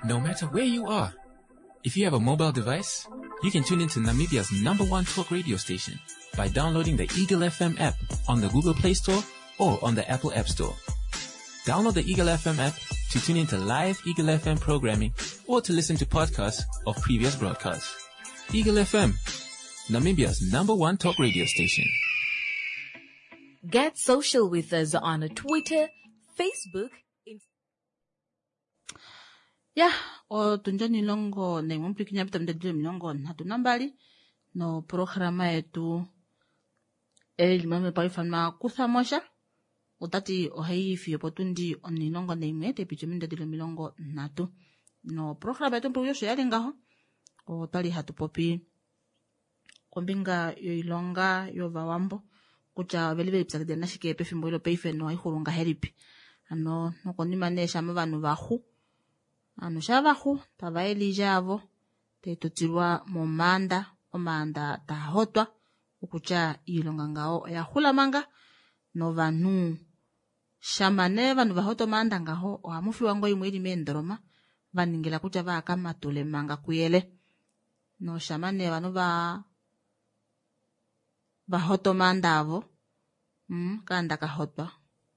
No matter where you are, if you have a mobile device, you can tune into Namibia's number one talk radio station by downloading the Eagle FM app on the Google Play Store or on the Apple App Store. Download the Eagle FM app to tune into live Eagle FM programming or to listen to podcasts of previous broadcasts. Eagle FM, Namibia's number one talk radio station. Get social with us on Twitter, Facebook, Ya, otundi onilongo naimwe omupwilikini ya pita omindadilo omilongo nhatu nambali noprograma yetu eli momhepo hayi ifanwa kutha mosha ota ti ohayi yi fiyo opotundi onilongo naimwe tai piti omindadilo omilongo nhatu noprograma yetu omupwilikini osho yali ngaho otwali hatu popi. kombinga yoilonga yovawambo kutya oveli velipyakidila nashike pefimbo ilo paife nohaixulu ngahelipi. Hano nokonima nee shama ovanhu vaxu, ovanhu shaa vaxu tava yele oilya yavo tai tutilwa momaanda, omaanda taa hotwa okutya oilonga ngaho oya xula manga novanhu shama nee ovanhu vahota omaanda ngaho ohamu fiwa ngoo imwe ili meendoloma vaningila kutya vaaka matule manga kuyele. Noshama nee ovanhu va vahota omaanda avo kaanda kahotwa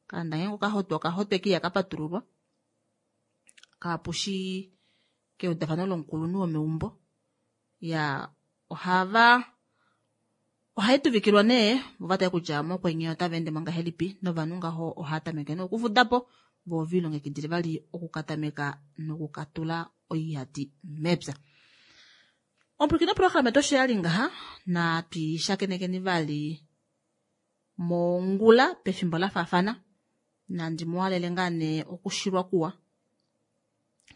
kaanda ngeenge okahotwa okahotwa eke ihaka patululwa kapushi keudafano lomukulunhu womeumbo. Ya ohava ohai tuvikilwa nee vo vatale kutya mokwenye otava ende mo ngahelipi novanhu ngaho ohava tameke nee okufuda po vo velilongekidile vali okukatameka nokukatula oiyati mepya. Omupwilikini woprograma yetu osho yali ngaha natwishakenekeni vali mongula pefimbo lafaafana nandi muhalele ngaa nee okushilwa kuwa.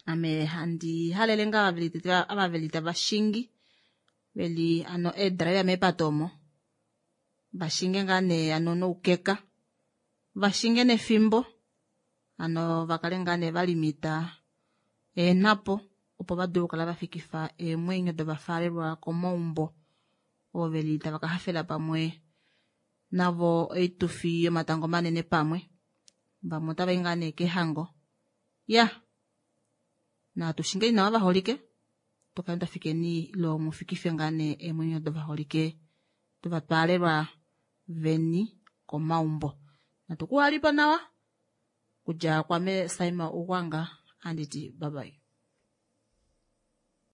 Ame handi halele ngaa ava veli tava shingi veli ano eedraiva meepato omo vashinge ngaa nee ano noukeka vashinge nefimbo ano vakale ngaa nee valimita eenhapo opo vadule okukala vafikifa eemwenyo dovafaalelwa komaumbo ovo veli tava ka hafela pamwe navo oitufi yomatango manene pamwe. Vamwe otava i ngaa nee kehango. Ya natu shingeni nawa vaholike tukale twafikeni ilo mufikife ngaa nee eemwenyo dovaholike dovatwaalelwa veni komaumbo. Natu kuhalipo nawa kudja kwame Saima Ugwanga anditi bye bye.